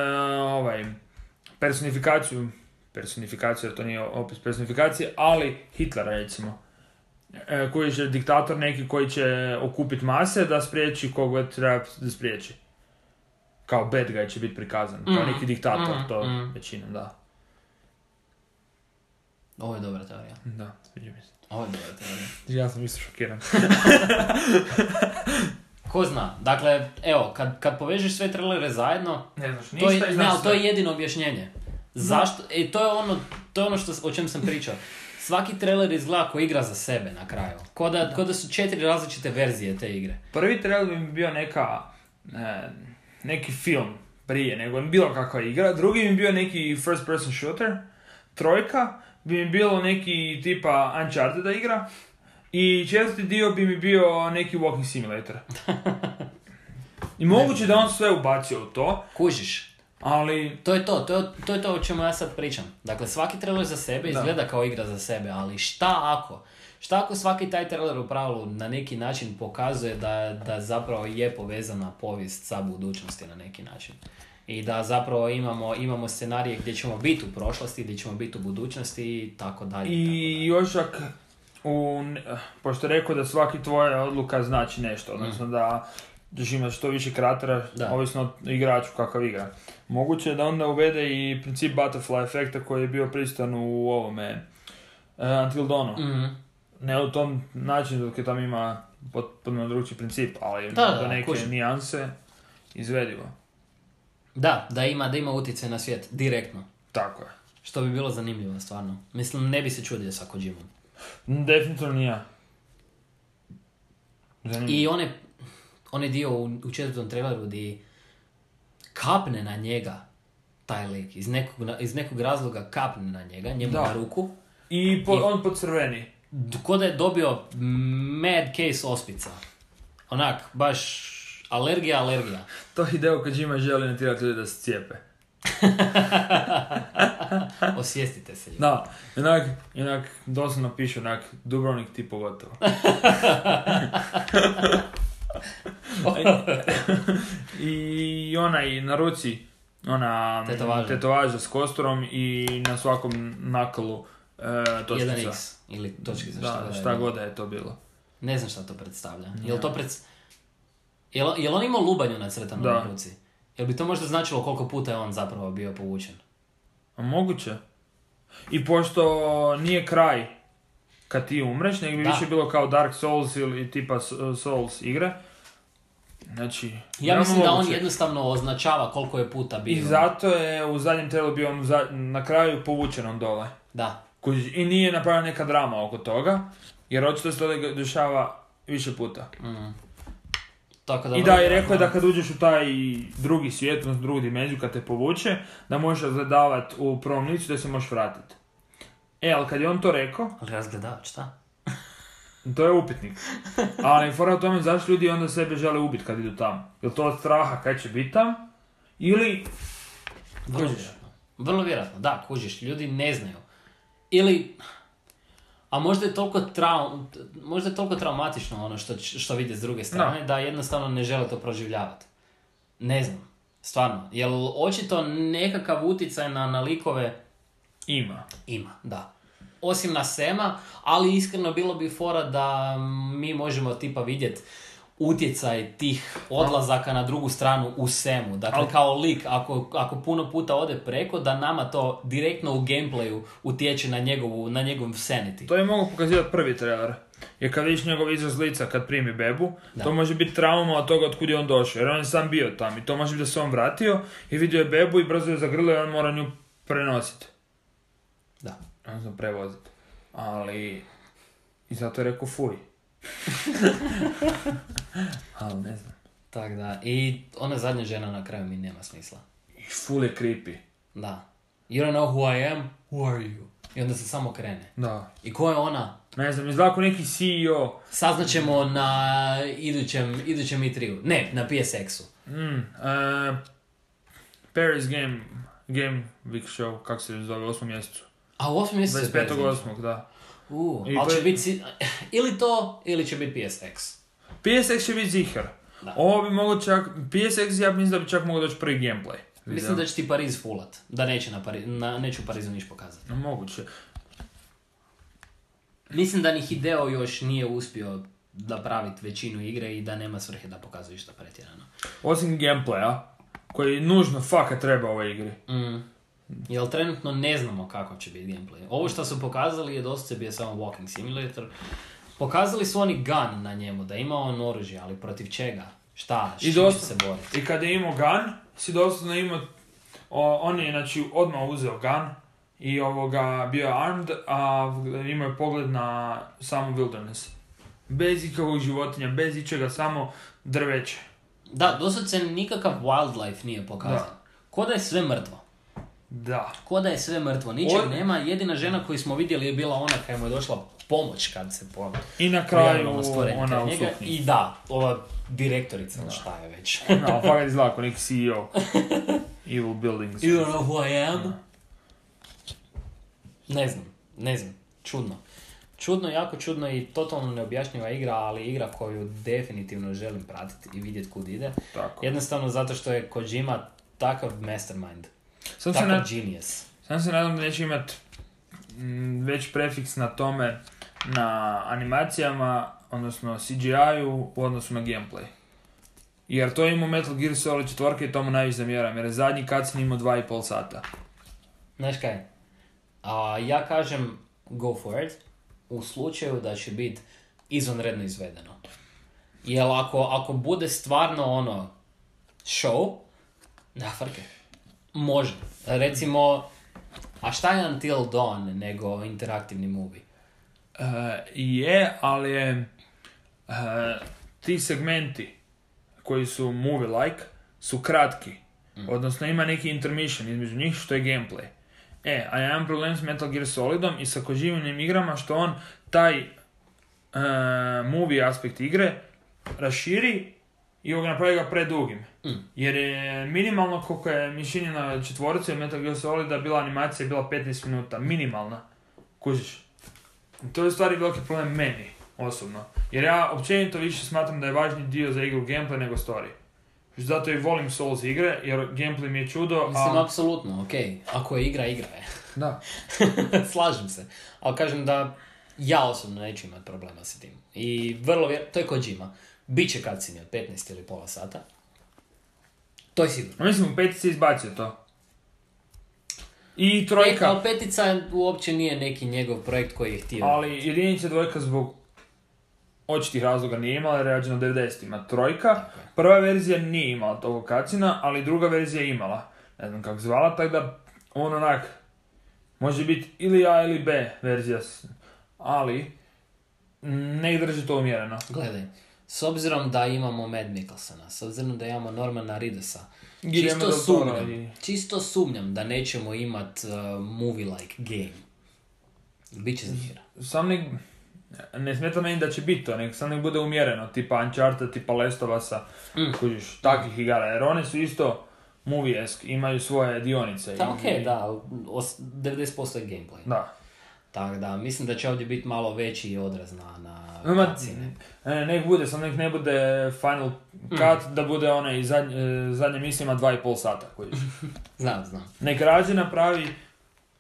ovaj, personifikaciju, personifikaciju, jer to nije opis personifikacije, ali Hitlera recimo, e, koji je diktator neki koji će okupiti mase da spriječi koga treba da spriječi. Kao bad guy će biti prikazan, kao Mhm, neki diktator, mhm, to mhm. većinom, da. Ovo je dobra teorija. Da, sviđa mi se. Ovo je dobra teorija. Ja sam isto šokiran. Ko zna? Dakle, evo, kad, kad povežeš sve trailere zajedno, Ne znaš to je, ništa i ne, znaš ali to sve. je jedino objašnjenje. Zašto? E, to je ono, to je ono što, o čem sam pričao. Svaki trailer izgleda kao igra za sebe na kraju. Ko da, ko da su četiri različite verzije te igre. Prvi trailer bi mi bio neka, e, neki film prije nego bilo kakva igra, drugi bi mi bio neki first person shooter, trojka bi mi bilo neki tipa Uncharted igra i četvrti dio bi mi bio neki walking simulator. I moguće da on sve ubacio u to, Kužiš? ali To je to, to je, to je to o čemu ja sad pričam. Dakle, svaki trailer za sebe Da. izgleda kao igra za sebe, ali šta ako? Šta ako svaki taj trailer u pravilu na neki način pokazuje da, da zapravo je povezana povijest sa budućnosti na neki način? I da zapravo imamo, imamo scenarije gdje ćemo biti u prošlosti, gdje ćemo biti u budućnosti i tako dalje. i još ak, u, pošto je rekao da svaki tvoja odluka znači nešto, odnosno da ćeš imati što više kratera, Da. ovisno o igraču kakav igra. Moguće je da onda uvede i princip butterfly efekta koji je bio prisutan u ovome uh, Until Dawnu. Mhm. Ne u tom načinu dok je tam ima potpuno drugčiji princip, ali Da, da, do neke kužim. nijanse izvedivo. Da, da ima, da ima utjecaj na svijet, direktno. Tako je. Što bi bilo zanimljivo, stvarno. Mislim, ne bi se čudio sa Kojimom. Definitivno nije ja. Zanimljivo. I one, onaj dio u, u četvrtom traileru gdje kapne na njega taj lik, iz nekog, iz nekog razloga kapne na njega, njemu Da. na ruku, I, po, I- on po crveni. d- ko da je dobio mad case ospica. Onak, baš alergija, alergija. To Hideo Kojima želi natjerati ljudi da se cijepe. Osvijestite se. ljudi. Da, inak, inak doslovno piše onak Dubrovnik ti pogotovo. I onaj na ruci, ona Tetovaža. tetovaža s kosturom i na svakom nakalu e, točkica. jedan iks ili točkica, šta, Da, god šta je. god da je to bilo. Ne znam šta to predstavlja. Ja. Jel to pred... Jel, jel on imao lubanju nacrtanu Da. na ruci? Jel bi to možda značilo koliko puta je on zapravo bio povučen? A moguće. I pošto nije kraj kad ti umreš, nego bi Da. više bilo kao Dark Souls ili tipa Souls igre. Znači, Ja veoma mislim da on moguće. jednostavno označava koliko je puta bio. I zato je u zadnjem traileru bio on za, na kraju povučen on dole. Da. Kužiš, i nije napravljena neka drama oko toga, jer očito se to dešava više puta. Mm. Tako da I da, i vrlo rekao je da vjerojatno- kad uđeš u taj drugi svijet, odnosno drugu dimenziju, kad te povuče, da možeš razgledavati u prvom licu da se možeš vratiti. E, ali kad je on to rekao, Ali razgledavač, šta? to je upitnik. Ali fora o tome zašto ljudi onda sebe žele ubiti kad idu tamo. Je to od straha kad će biti tam? Ili... Vrlo Kužiš? vjerojatno. Vrlo vjerojatno, da, kužiš, ljudi ne znaju. Ili, a možda je toliko, trau, možda je toliko traumatično ono što, što vide s druge strane, No. da jednostavno ne žele to proživljavati. Ne znam, stvarno. Jer očito nekakav utjecaj na, na likove Ima. ima, da. Osim na Sema, ali iskreno bilo bi fora da mi možemo tipa vidjeti utjecaj tih odlazaka na drugu stranu u Semu. Dakle, Al- kao lik, ako, ako puno puta ode preko, da nama to direktno u gameplayu utječe na njegovu, na njegov sanity. To je mogu pokazivati prvi trailer. Jer kad vidiš njegov izraz lica kad primi bebu, Da. to može biti trauma od toga od kud je on došao. Jer on je sam bio tam i to može biti da se on vratio i vidio je bebu i brzo je zagrlio i on mora nju prenositi. Da. Odnosno prevoziti. Ali... I zato je rekao fuj. Ali ne znam. Tak da. I ona zadnja žena na kraju mi nema smisla. I full je creepy. Da. You don't know who I am? Who are you? I onda se samo krene. Da. I ko je ona? Ne znam, izgleda kao neki C E O. Saznaćemo na idućem, idućem E tri-u. Ne, na P S X-u. Mm, uh, Paris Game, Game Week Show, kako se zove, u osmom mjesecu. A u osmom mjesecu dvadeset se petog prezime. osmog da. Uh, I ali to će je- biti si- ili to, ili će biti P S X. P S X će biti ziher. Da. Ovo bi moglo čak, P S X ja mislim da bi čak mogao doći prvi gameplay. Mislim da će ti Pariz fullat. Da neće na, Pari, na neću u Parizu niš pokazati. No, moguće. Mislim da ni Hideo još nije uspio napraviti većinu igre i da nema svrhe da pokazuje išta pretjerano. Osim gameplaya, koji nužno faka treba u ovoj igri. Mm. Jer trenutno ne znamo kako će biti gameplay. Ovo što su pokazali je dosta bio samo walking simulator. Pokazali su oni gun na njemu, da ima on oružje, ali protiv čega? Šta? S I čim će dosta- se boriti? I kad je imao gun, si doslovno imao, o, on je znači odmah uzeo gun i ovoga bio armed, a imao je pogled na samu wilderness. Bez ikakvog životinja, bez ičega, samo drveće. Da, doslovce nikakav wildlife nije pokazan. Da. Ko da je sve mrtvo. Da. Ko da je sve mrtvo. Ničeg Od- nema. Jedina žena koju smo vidjeli je bila ona koja mu je došla pomoć kad se po... I na kraju pojavilo ono stvorenje ona kraj u njega. suknji. I da, ova direktorica, ili šta je već. No, fakat izgleda kao neki C E O. Evil Buildings. You don't know who I am? Ne znam, ne znam. Čudno. Čudno, jako čudno i totalno neobjašnjiva igra, ali igra koju definitivno želim pratiti i vidjeti kud ide. Tako. Jednostavno zato što je Kojima takav mastermind, Sam se, takav na, genius. sam se nadam da neće imat mm, već prefiks na tome, na animacijama, odnosno C G I-u u odnosu na gameplay. Jer to je imao Metal Gear Solid četiri i tomu najviše zamjeram, jer je zadnji cutscene imao dva i pol sata. Znaš kaj? A, ja kažem go for it u slučaju da će biti izvanredno izvedeno. Jer ako, ako bude stvarno ono show, da frke, može. Recimo, a šta je Until Dawn nego interaktivni movie? Uh, je, ali je uh, ti segmenti koji su movie-like su kratki. Mm. Odnosno ima neki intermission između njih što je gameplay. E, a ja imam problem s Metal Gear Solidom i sa Kojimovim igrama što on taj uh, movie aspekt igre raširi i ga napravi ga predugim. Mm. Jer je minimalno koliko je mišljenje na četvoricu Metal Gear Solida bila animacija bila petnaest minuta. Minimalna. Kužiš? To je u stvari veliki problem meni, osobno. Jer ja općenito više smatram da je važniji dio za igru gameplay nego story. Zato i volim Souls igre, jer gameplay mi je čudo, Mislim, a... apsolutno, ok. Ako je igra, igra je. Da. Slažem se. Ali kažem da ja osobno neću imati problema s tim. I vrlo vjer... To je Kojima. Biće cutscene od petnaest ili pola sata. To je sigurno. A mislim, u petici izbacio to. I E, trojka, kao petica uopće nije neki njegov projekt koji je htio. ali jedinica dvojka zbog očitih razloga nije imala, jer je rađena u devedesetima. Trojka, Tako je. prva verzija nije imala tog cutscena, ali druga verzija je imala. Ne znam kako zvala, tako da on onak, može biti ili A ili B verzija, s- ali ne ih drži to umjereno. Gledaj, S obzirom da imamo Mad Mikkelsona, s obzirom da imamo Normana Reedusa, Guillermo čisto del Toro sumnjam, i- čisto sumnjam da nećemo imat uh, movie-like game. Biće zanimljivo. Sam nek... Ne smeta meni da će biti to, nek sam nek bude umjereno, tipa Uncharted, tipa Last of Usa, Mm. kužiš, takvih igara, jer one su isto movie-esk, imaju svoje dionice. Da, i- okej, da, os- devedeset posto je gameplay. Da. Tako da, mislim da će ovdje biti malo veći odraz na, na Ima, cutscene. e, nek bude, sam nek ne bude final cut, da bude one i zadnje, e, zadnje mislima dva i pol sata, kužiš. Znam, znam. Nek rađe napravi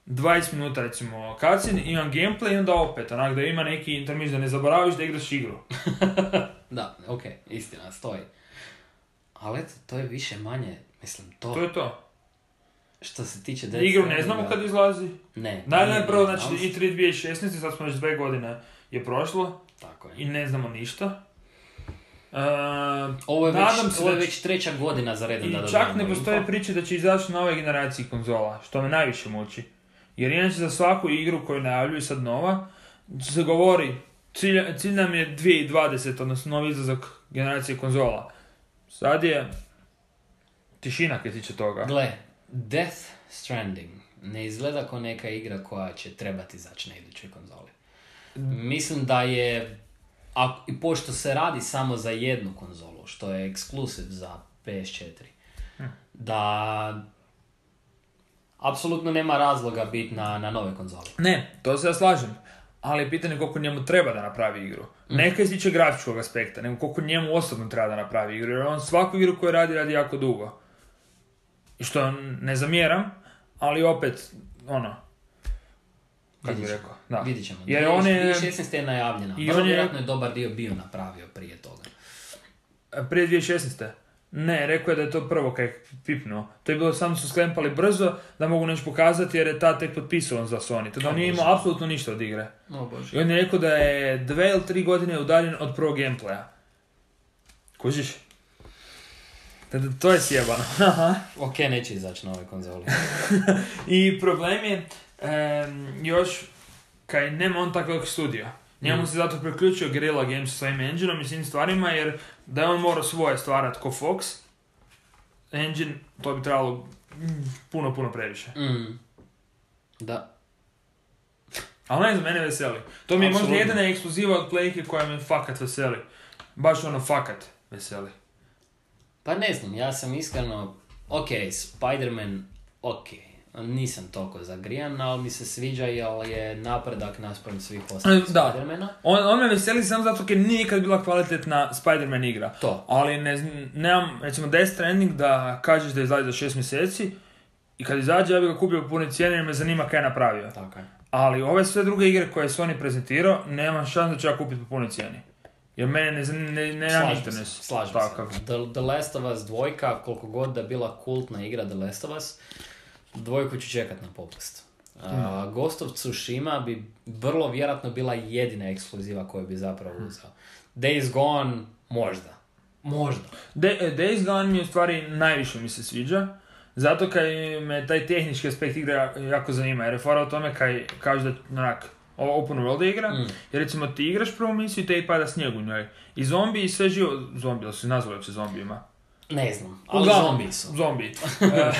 dvadeset minuta recimo cutscene, imam gameplay i onda opet, onak da ima neki intermis da ne zaboraviš da igraš igru. Da, okej, istina, stoji. Ali eto, to je više manje, mislim, to, To je to. što se tiče Death Igru ne Strandinga- znamo kad izlazi. Ne. Daj, nije, najprvo, ne, znači ali- i tri dvije tisuće šesnaeste, sad smo već dve godine je prošlo Tako je. i ne znamo ništa. E, Ovo je, već, nadam se ovo je da će- već treća godina za redom I da čak dobijemo ne postoje info. priče da će izaći na ovoj generaciji konzola, što me najviše muči. Jer inače za svaku igru koju najavljuju sad nova, se govori, cilj, cilj nam je dvije tisuće dvadesete, odnosno novi izlazak generacije konzola. Sad je tišina kad tiče toga. Gle, Death Stranding ne izgleda kao neka igra koja će trebati izaći na idućoj konzoli. Mislim da je, a, i pošto se radi samo za jednu konzolu, što je ekskluziv za P S četiri, da apsolutno nema razloga biti na, na nove konzoli. Ne, to se ja slažem. Ali je pitanje koliko njemu treba da napravi igru. Neka iz tiče grafičkog aspekta, nego koliko njemu osobno treba da napravi igru. Jer on svaku igru koju radi, radi jako dugo. I što ne zamjeram, ali opet, ono, kako bi Vidit ćemo. rekao, da. Vidit ćemo. Jer on je, dvije tisuće šesnaeste je najavljena. I Vrlo on je- vjerojatno je dobar dio bio napravio prije toga. prije dvije tisuće šesnaeste. Ne, rekao je da je to prvo kaj je pipnuo. To je bilo, samo su sklempali brzo da mogu nešto pokazati jer je ta tek potpisovan za Sony. Tada on O, nije Bože. imao apsolutno ništa od igre. O bože. I on je rekao da je dve ili tri godine udaljen od prvog gameplaya. Kužiš? Tada to je sjebano. Ok, neće izaći na ovoj konzoli. I problem je em, još kaj nema on tako velik studio. Njemu Mm. se zato priključio Guerrilla Games sa svojim engineom i svim stvarima jer da je on morao svoje stvarati ko Fox engine, to bi trebalo mm, puno, puno previše. Mm. Da. Ali ne znam, mene veseli. To mi je možda Apsolutno. jedina ekskluziva od Playke koja me fakat veseli. Baš ono fakat veseli. Pa ne znam, ja sam iskreno, ok, Spider-Man, ok, nisam toliko zagrijan, ali mi se sviđa jer je napredak naspram svih ostalih Da. Spider-mana. On, on me veseli samo zato jer nije nikad bila kvalitetna Spider-Man igra. To. Ali ne, znam, nemam, recimo Death Stranding da kažeš da izlazi za šest mjeseci i kad izađe ja bih ga kupio po punoj cijeni jer me zanima kaj je napravio. Tako je. Ali ove sve druge igre koje je Sony prezentirao, nemam šans da ću ja kupiti po punoj cijeni. Jer mene ne zanima, ne, ne, nemam Slažem interes. se, slažem Takav. se. The, The Last of Us dvojka, koliko god da bila kultna igra The Last of Us, dvojku ću čekat na popust. Uh, Ghost of Tsushima bi vrlo vjerojatno bila jedina ekskluziva koju bi zapravo uzeo. Days Gone, možda. Možda. De, Days Gone mi u stvari najviše mi se sviđa. Zato kaj me taj tehnički aspekt igre jako- jako zanima. Jer je fora o tome kaj kaže da onak, ovo open world igra, Mm. jer recimo ti igraš prvu misiju i te i pada snijeg u njoj. I zombi i sve živo, zombi, ali su nazvali uopće zombijima. Ne znam, ali Uglavnom, zombi su. Zombi. e,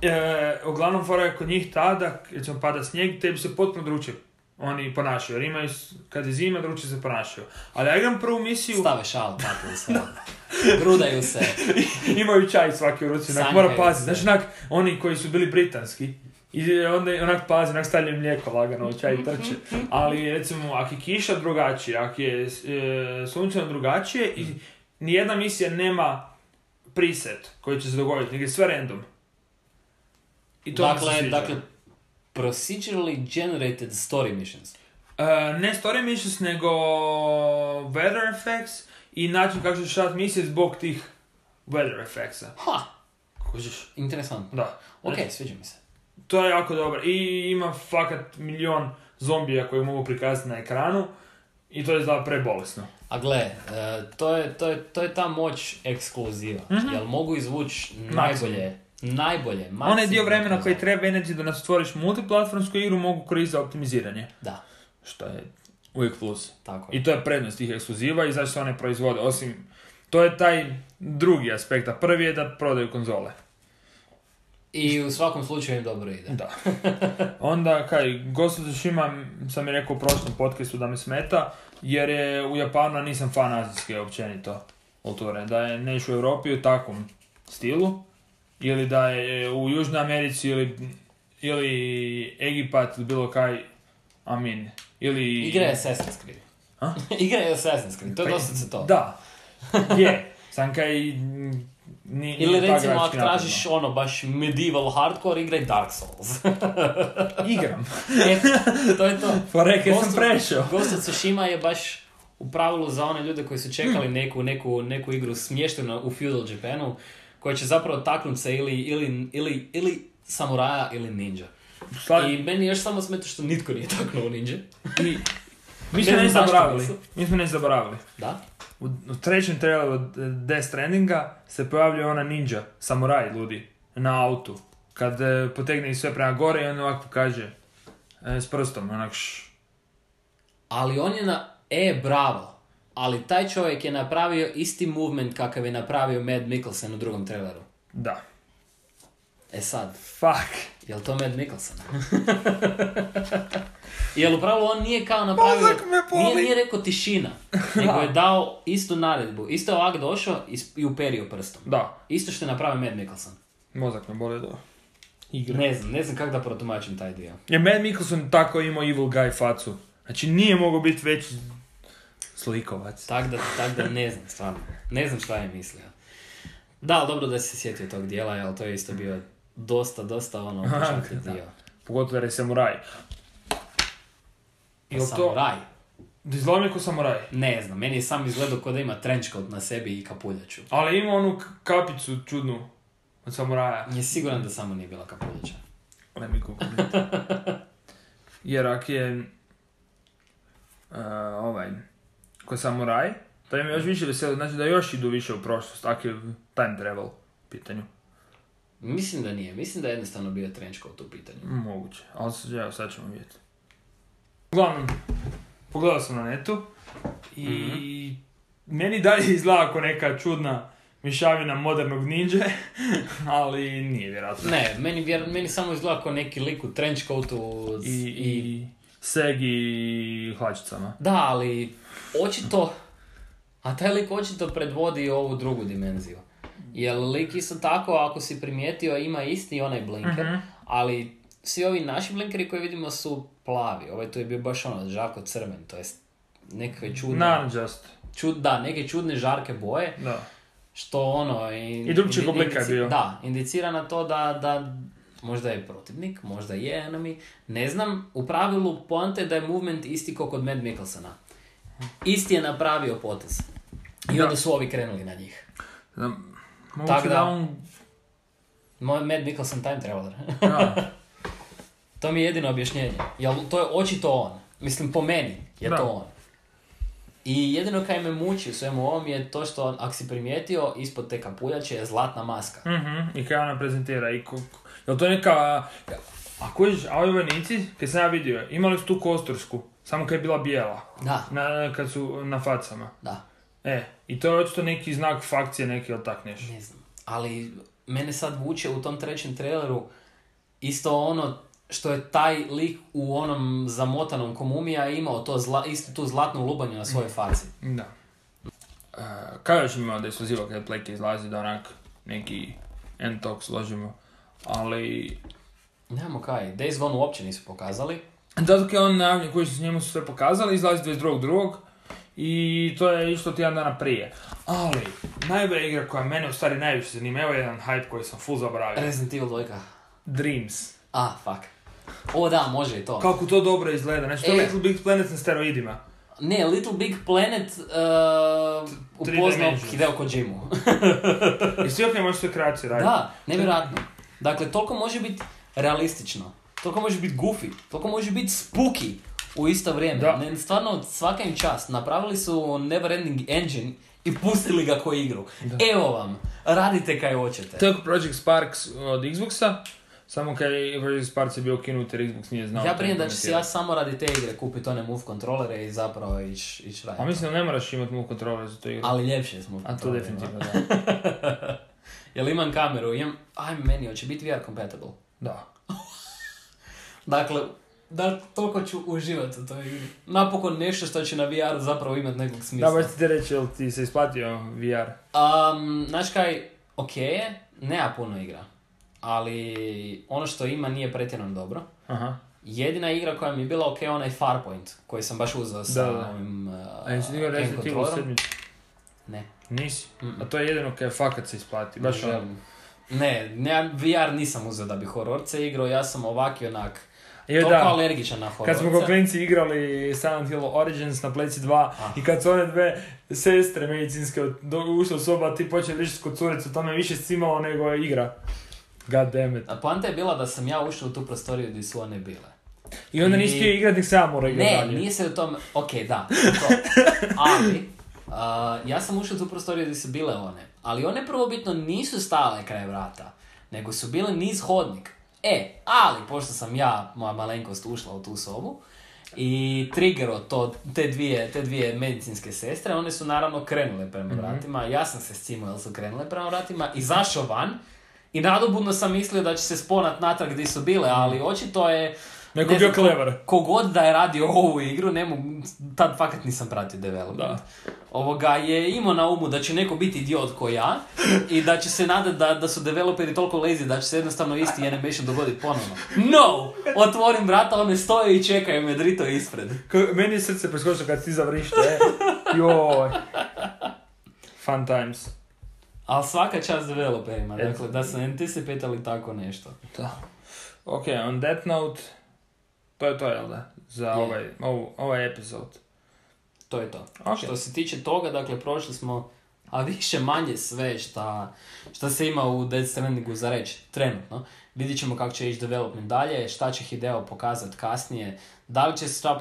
e, uglavnom fora je kod njih ta da, recimo pada snijeg, tebi se potpuno drugačije oni ponašaju. Jer imaju, s- kad je zima, drugačije se ponašaju. Ali ja igram prvu misiju, Stave šal, tako i sve. Grudaju se. imaju čaj svaki u ruci, onak Sanjaju mora paziti. se. Znači, onak, oni koji su bili britanski, i onda onak pazi, onak stavljaju mlijeko lagano u čaj i trče. Ali recimo, ako je kiša drugačije, ako je e, sunčano drugačije i nijedna misija nema preset koji će se dogoditi, nego je sve random. I to mi se Dakle, sviđa. dakle, procedurally generated story missions. E, ne story missions, nego weather effects i način kako ćeš rad misije zbog tih weather effectsa. Ha, Kužiš? interesantno. Da. Ok, sviđa mi se. To je jako dobro. I ima fakat milion zombija koji mogu prikazati na ekranu i to je izgleda prebolesno. A gle, e, to, je, to, je, to je ta moć ekskluziva. Mhm. Jel mogu izvući najbolje, najbolje, maksimum. Onaj dio vremena koji konzole. treba energy da nas stvoriš multiplatformsku igru mogu koristiti za optimiziranje. Da. Što je uvijek plus. Tako je. I to je prednost tih ekskluziva i zašto se one proizvode. Osim, to je taj drugi aspekt, a prvi je da prodaju konzole. I u svakom slučaju im dobro ide. Da. Onda, kaj, Ghost of Tsushima sam je rekao u prošlom podcastu da me smeta, jer je u Japanu nisam fan azijske općenito kulture. Da je neš u Europi u takvom stilu, ili da je u Južnoj Americi, ili, ili Egipat, bilo kaj, amin. Ili... Igra je Assassin's Creed. A? Igra je Assassin's Creed, to je dosta se to. Da, je. Sam kaj... Ni, Ili recimo ako tražiš ono baš medieval hardcore, igraj Dark Souls. Igram. E, to je to. Poreke sam prešao. Ghost of Tsushima je baš u pravilu za one ljude koji su čekali neku, neku, neku igru smještenu u feudal Japanu, koja će zapravo taknuti se ili, ili, ili, ili samuraja ili ninja. Sla... I meni još samo smeta što nitko nije taknuo ninja. I mi smo ne zaboravili. Mi smo ne zaboravili. Da? U, u trećem traileru Death Strandinga se pojavljuje ona ninja, samuraj ludi, na autu. Kad e, potegne sve prema gore i on ovako kaže e, s prstom, onak š... Ali on je na... E, bravo. Ali taj čovjek je napravio isti movement kakav je napravio Mad Mikkelsen u drugom traileru. Da. E sad. Fuck. Jel to Mad Mikkelsen? Jel u pravilu on nije kao napravio... Nije, nije rekao tišina. Nego je dao istu naredbu. Isto je ovak došao i uperio prstom. Da. Isto što je napravio Mad Mikkelsen. Mozak me boli da igra. Ne znam, ne znam kako da protumačim taj dio. Je Mad Mikkelsen tako imao evil guy facu. Znači nije mogao biti veći slikovac. Tak da, tak da ne znam, stvarno. Ne znam šta je mislio. Da, ali dobro da si se sjetio tog dijela, jer to je isto bio dosta, dosta ono upečatljiv dio. Pogotovo jer je samuraj. Jel samuraj? Da izgleda ko samuraj? Ne znam, meni je sam izgledao kao da ima trenchcoat na sebi i kapuljaču. Ali ima onu kapicu čudnu od samuraja. Je siguran da samo nije bila kapuljača. Ne mi kukuliti. Jer ako je uh, ovaj, ko samuraj, to je mi još više veselo, znači da još idu više u prošlost, ako je time travel u pitanju. Mislim da nije, mislim da je jednostavno bio trenchcoat u pitanju. Moguće, ali evo sad ćemo vidjeti. Uglavnom, pogledao sam na netu i mm-hmm. meni dalje izgleda ako neka čudna mišavina modernog ninja, ali nije vjerojatno. Ne, meni, vjer, meni samo izgleda kao neki lik u trenchcoatu i, i, i segi i hlačicama. Da, ali očito, a taj lik očito predvodi ovu drugu dimenziju. Jer lik isto tako, ako si primijetio, ima isti onaj blinker, mm-hmm. ali svi ovi naši blinkeri koji vidimo su plavi. Ovaj tu je bio baš ono žarko crven, to jest nekakve čudne... Naranđast. Čud, da, neke čudne žarke boje. Da. Što ono... In, I drugčijeg oblika je bio. Da, indicira na to da, da možda je protivnik, možda je enemy. Ne znam, u pravilu poanta je da je movement isti kao kod Mad Mikkelsena. Isti je napravio potez. I onda su ovi krenuli na njih. Da, moguće da on... Mad Mikkelsen time traveler. Da. To mi je jedino objašnjenje. Jel, to je očito on. Mislim, po meni je da. To on. I jedino kaj me muči u svemu ovom je to što, ako si primijetio, ispod te kapuljače je zlatna maska. Mm-hmm. I kaj ona prezentira. I ko, jel to neka... A koji a ovi vojnici, kad sam ja vidio, imali su tu kostursku, samo kad je bila bijela. Da. Na, kad su na facama. Da. E, i to je očito neki znak fakcije, neki ili tak nešto. Ne znam. Ali mene sad vuče u tom trećem traileru isto ono što je taj lik u onom zamotanom komumija imao to zla, isto tu zlatnu lubanju na svojoj faci. Da. Uh, kada još imamo da je ekskluziva kada Plake izlazi da onak neki end-talk složimo, ali... Nemamo kaj, Days Gone uopće nisu pokazali. Zato je on najavljen koji su s njemu sve pokazali, izlazi dvadeset drugog drugog i to je išlo tjedan dana prije. Ali, najbolja igra koja mene u stvari najviše zanima, evo jedan hype koji sam full zaboravio. Resident Evil dva. Dreams. Ah, fuck. O da, može i to. Kako to dobro izgleda, znači to je Little Big Planet na steroidima. Ne, Little Big Planet uh, upoznao Hideo Kojimu. I svi ok može sve kreacije raditi. Da, nevjerojatno. Dakle, toliko može biti realistično, toliko može biti goofy, toliko može biti spooky u isto vrijeme. Da. Ne, stvarno, svaka im čast. Napravili su Neverending Engine i pustili ga ko igru. Da. Evo vam, radite kaj hoćete. To je Project Sparks od Xboxa. Samo kad je Project Sparks je bio ukinut jer Xbox nije znao. Ja brijem da ću si ja samo radi te igre kupiti one move kontrolere i zapravo ići ić raditi. A mislim da ne moraš imati move kontrolere za to igru. Ali ljepše je s move kontrolere. A to definitivno, da. Jel imam kameru, imam, aj meni, hoće biti V R compatible. Da. Dakle, da, toliko ću uživati u toj igri. Napokon nešto što će na V R zapravo imati nekog smisla. Da, baš ti te reći, jel ti se isplatio V R? Um, znaš kaj, ok je, nema puno igra. Ali ono što ima nije pretjerano dobro. Aha. Jedina igra koja mi je bila ok, onaj Farpoint, koji sam baš uzeo sa da, da. ovim uh, A jesi ti ga Resident Evil sedmi? Ne. Nisi? Mm-mm. A to je jedino kaj fakat se isplati. Baš ne, ono. ne, ne, V R nisam uzeo da bi hororce igrao, ja sam ovak i onak Je, toliko da. alergičan na hororce. Kad smo ko klinci igrali Silent Hill Origins na pleci dva Ah. i kad su one dve sestre medicinske ušle u soba, ti počeli pričati kod curicu, to me više cimalo nego je igra. God damn it. A poanta je bila da sam ja ušao u tu prostoriju gdje su one bile. I onda I- nisi htio igrati, nek sam mora igrati Ne, dalje. nije se u tom, ok, da, to. Ali, uh, ja sam ušao u tu prostoriju gdje su bile one, ali one prvobitno nisu stale kraj vrata, nego su bile niz hodnik. E, ali, pošto sam ja, moja malenkost, ušla u tu sobu, i triggero to, te dvije, te dvije medicinske sestre, one su naravno krenule prema Mhm. vratima, ja sam se scimao jer su krenule prema vratima, izašao van, i nadobudno sam mislio da će se sponat natrag gdje su bile, ali očito je... Neko ne bio znam, clever. Kogod da je radio ovu igru, ne mogu, tad fakat nisam pratio development. Da. Ovoga je imao na umu da će neko biti idiot ko ja i da će se nadati da, da su developeri toliko lazy da će se jednostavno isti animation dogoditi ponovno. No! Otvorim vrata, one stoje i čekaju me drito ispred. K- meni je srce preskočilo kad ti zavrište, e. Joj. Fun times. Ali svaka čast developerima, Et- dakle, da su anticipatali tako nešto. Da. Ok, on that note, to je to, jel da? Za Je. ovaj, ovu, ovaj epizod. To je to. Ok. Što se tiče toga, dakle, prošli smo, a više manje sve šta, šta se ima u Death Strandingu za reći trenutno. Vidjet ćemo kako će ići development dalje, šta će Hideo pokazati kasnije, da li će se šta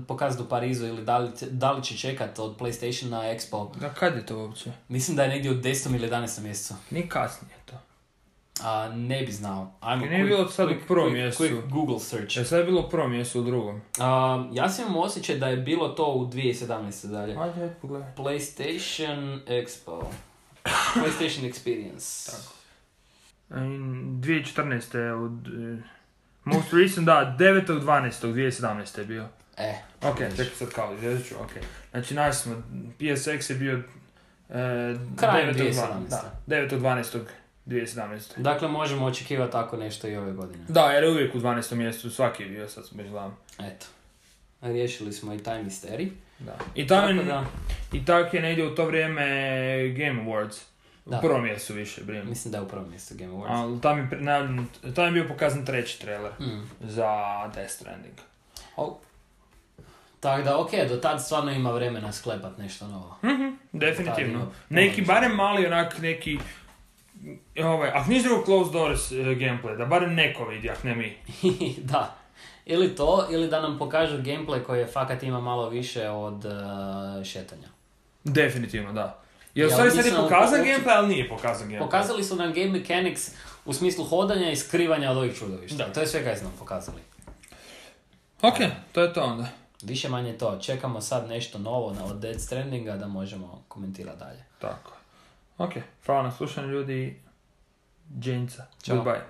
pokazati u Parizu ili da li, da li će čekati od PlayStation na Expo. Da, kad je to uopće? Mislim da je negdje u desetom ili jedanaestom mjesecu. Ni kasnije to. A, ne bi znao. Ajmo, I nije bilo sad u prvom mjesecu. Quick Google search. E, sad je bilo u prvom mjesecu, u drugom. A, ja sam imao osjećaj da je bilo to u dvije tisuće sedamnaeste dalje. Ajde, ajde, pogledaj. PlayStation Expo. PlayStation Experience. Tako. dvije tisuće četrnaeste od... eh, most recent, da, devetog dvanaestog dvije tisuće sedamnaeste je bio. E. Ok, čekaj sad kao, izvježit ću, ok. Znači, naši smo, P S X je bio... Eh, Krajem devetog dvije tisuće dva- sedamnaeste. Da, devetog dvanaestog dvije tisuće sedamnaeste. Dakle, možemo očekivati tako nešto i ove godine. Da, jer je uvijek u dvanaestom mjesecu, svaki je bio, sad smo već gledam. Eto. Riješili smo i taj misterij. Da. I tamo Tako je, da, i tako je negdje u to vrijeme Game Awards. U Da. prvom mjesecu više, brijem. mislim da je u prvom mjestu Game Awards. Ali tam je, pre- najavljen- tam je bio pokazan treći trailer Mm. za Death Stranding. Oh. Tako da, ok, do tad stvarno ima vremena sklepat nešto novo. Mhm, definitivno. Tad je- Neki, barem mali onak, neki... Ovaj, ako niš drugo Closed Doors uh, gameplay, da barem neko vidi, ako ne mi. Da. Ili to, ili da nam pokažu gameplay koji je fakat ima malo više od uh, šetanja. Definitivno, da. Jer u Ja, stvari sad je mislim, pokazan uopće- gameplay, ali nije pokazan gameplay. Pokazali su nam game mechanics u smislu hodanja i skrivanja od ovih čudovišta. Da. To je sve kaj su nam pokazali. Ok, to je to onda. Više manje to. Čekamo sad nešto novo na- od Death Strandinga da možemo komentirati dalje. Tako. Ok, hvala na slušanju ljudi. Dženca. Ćao. Goodbye.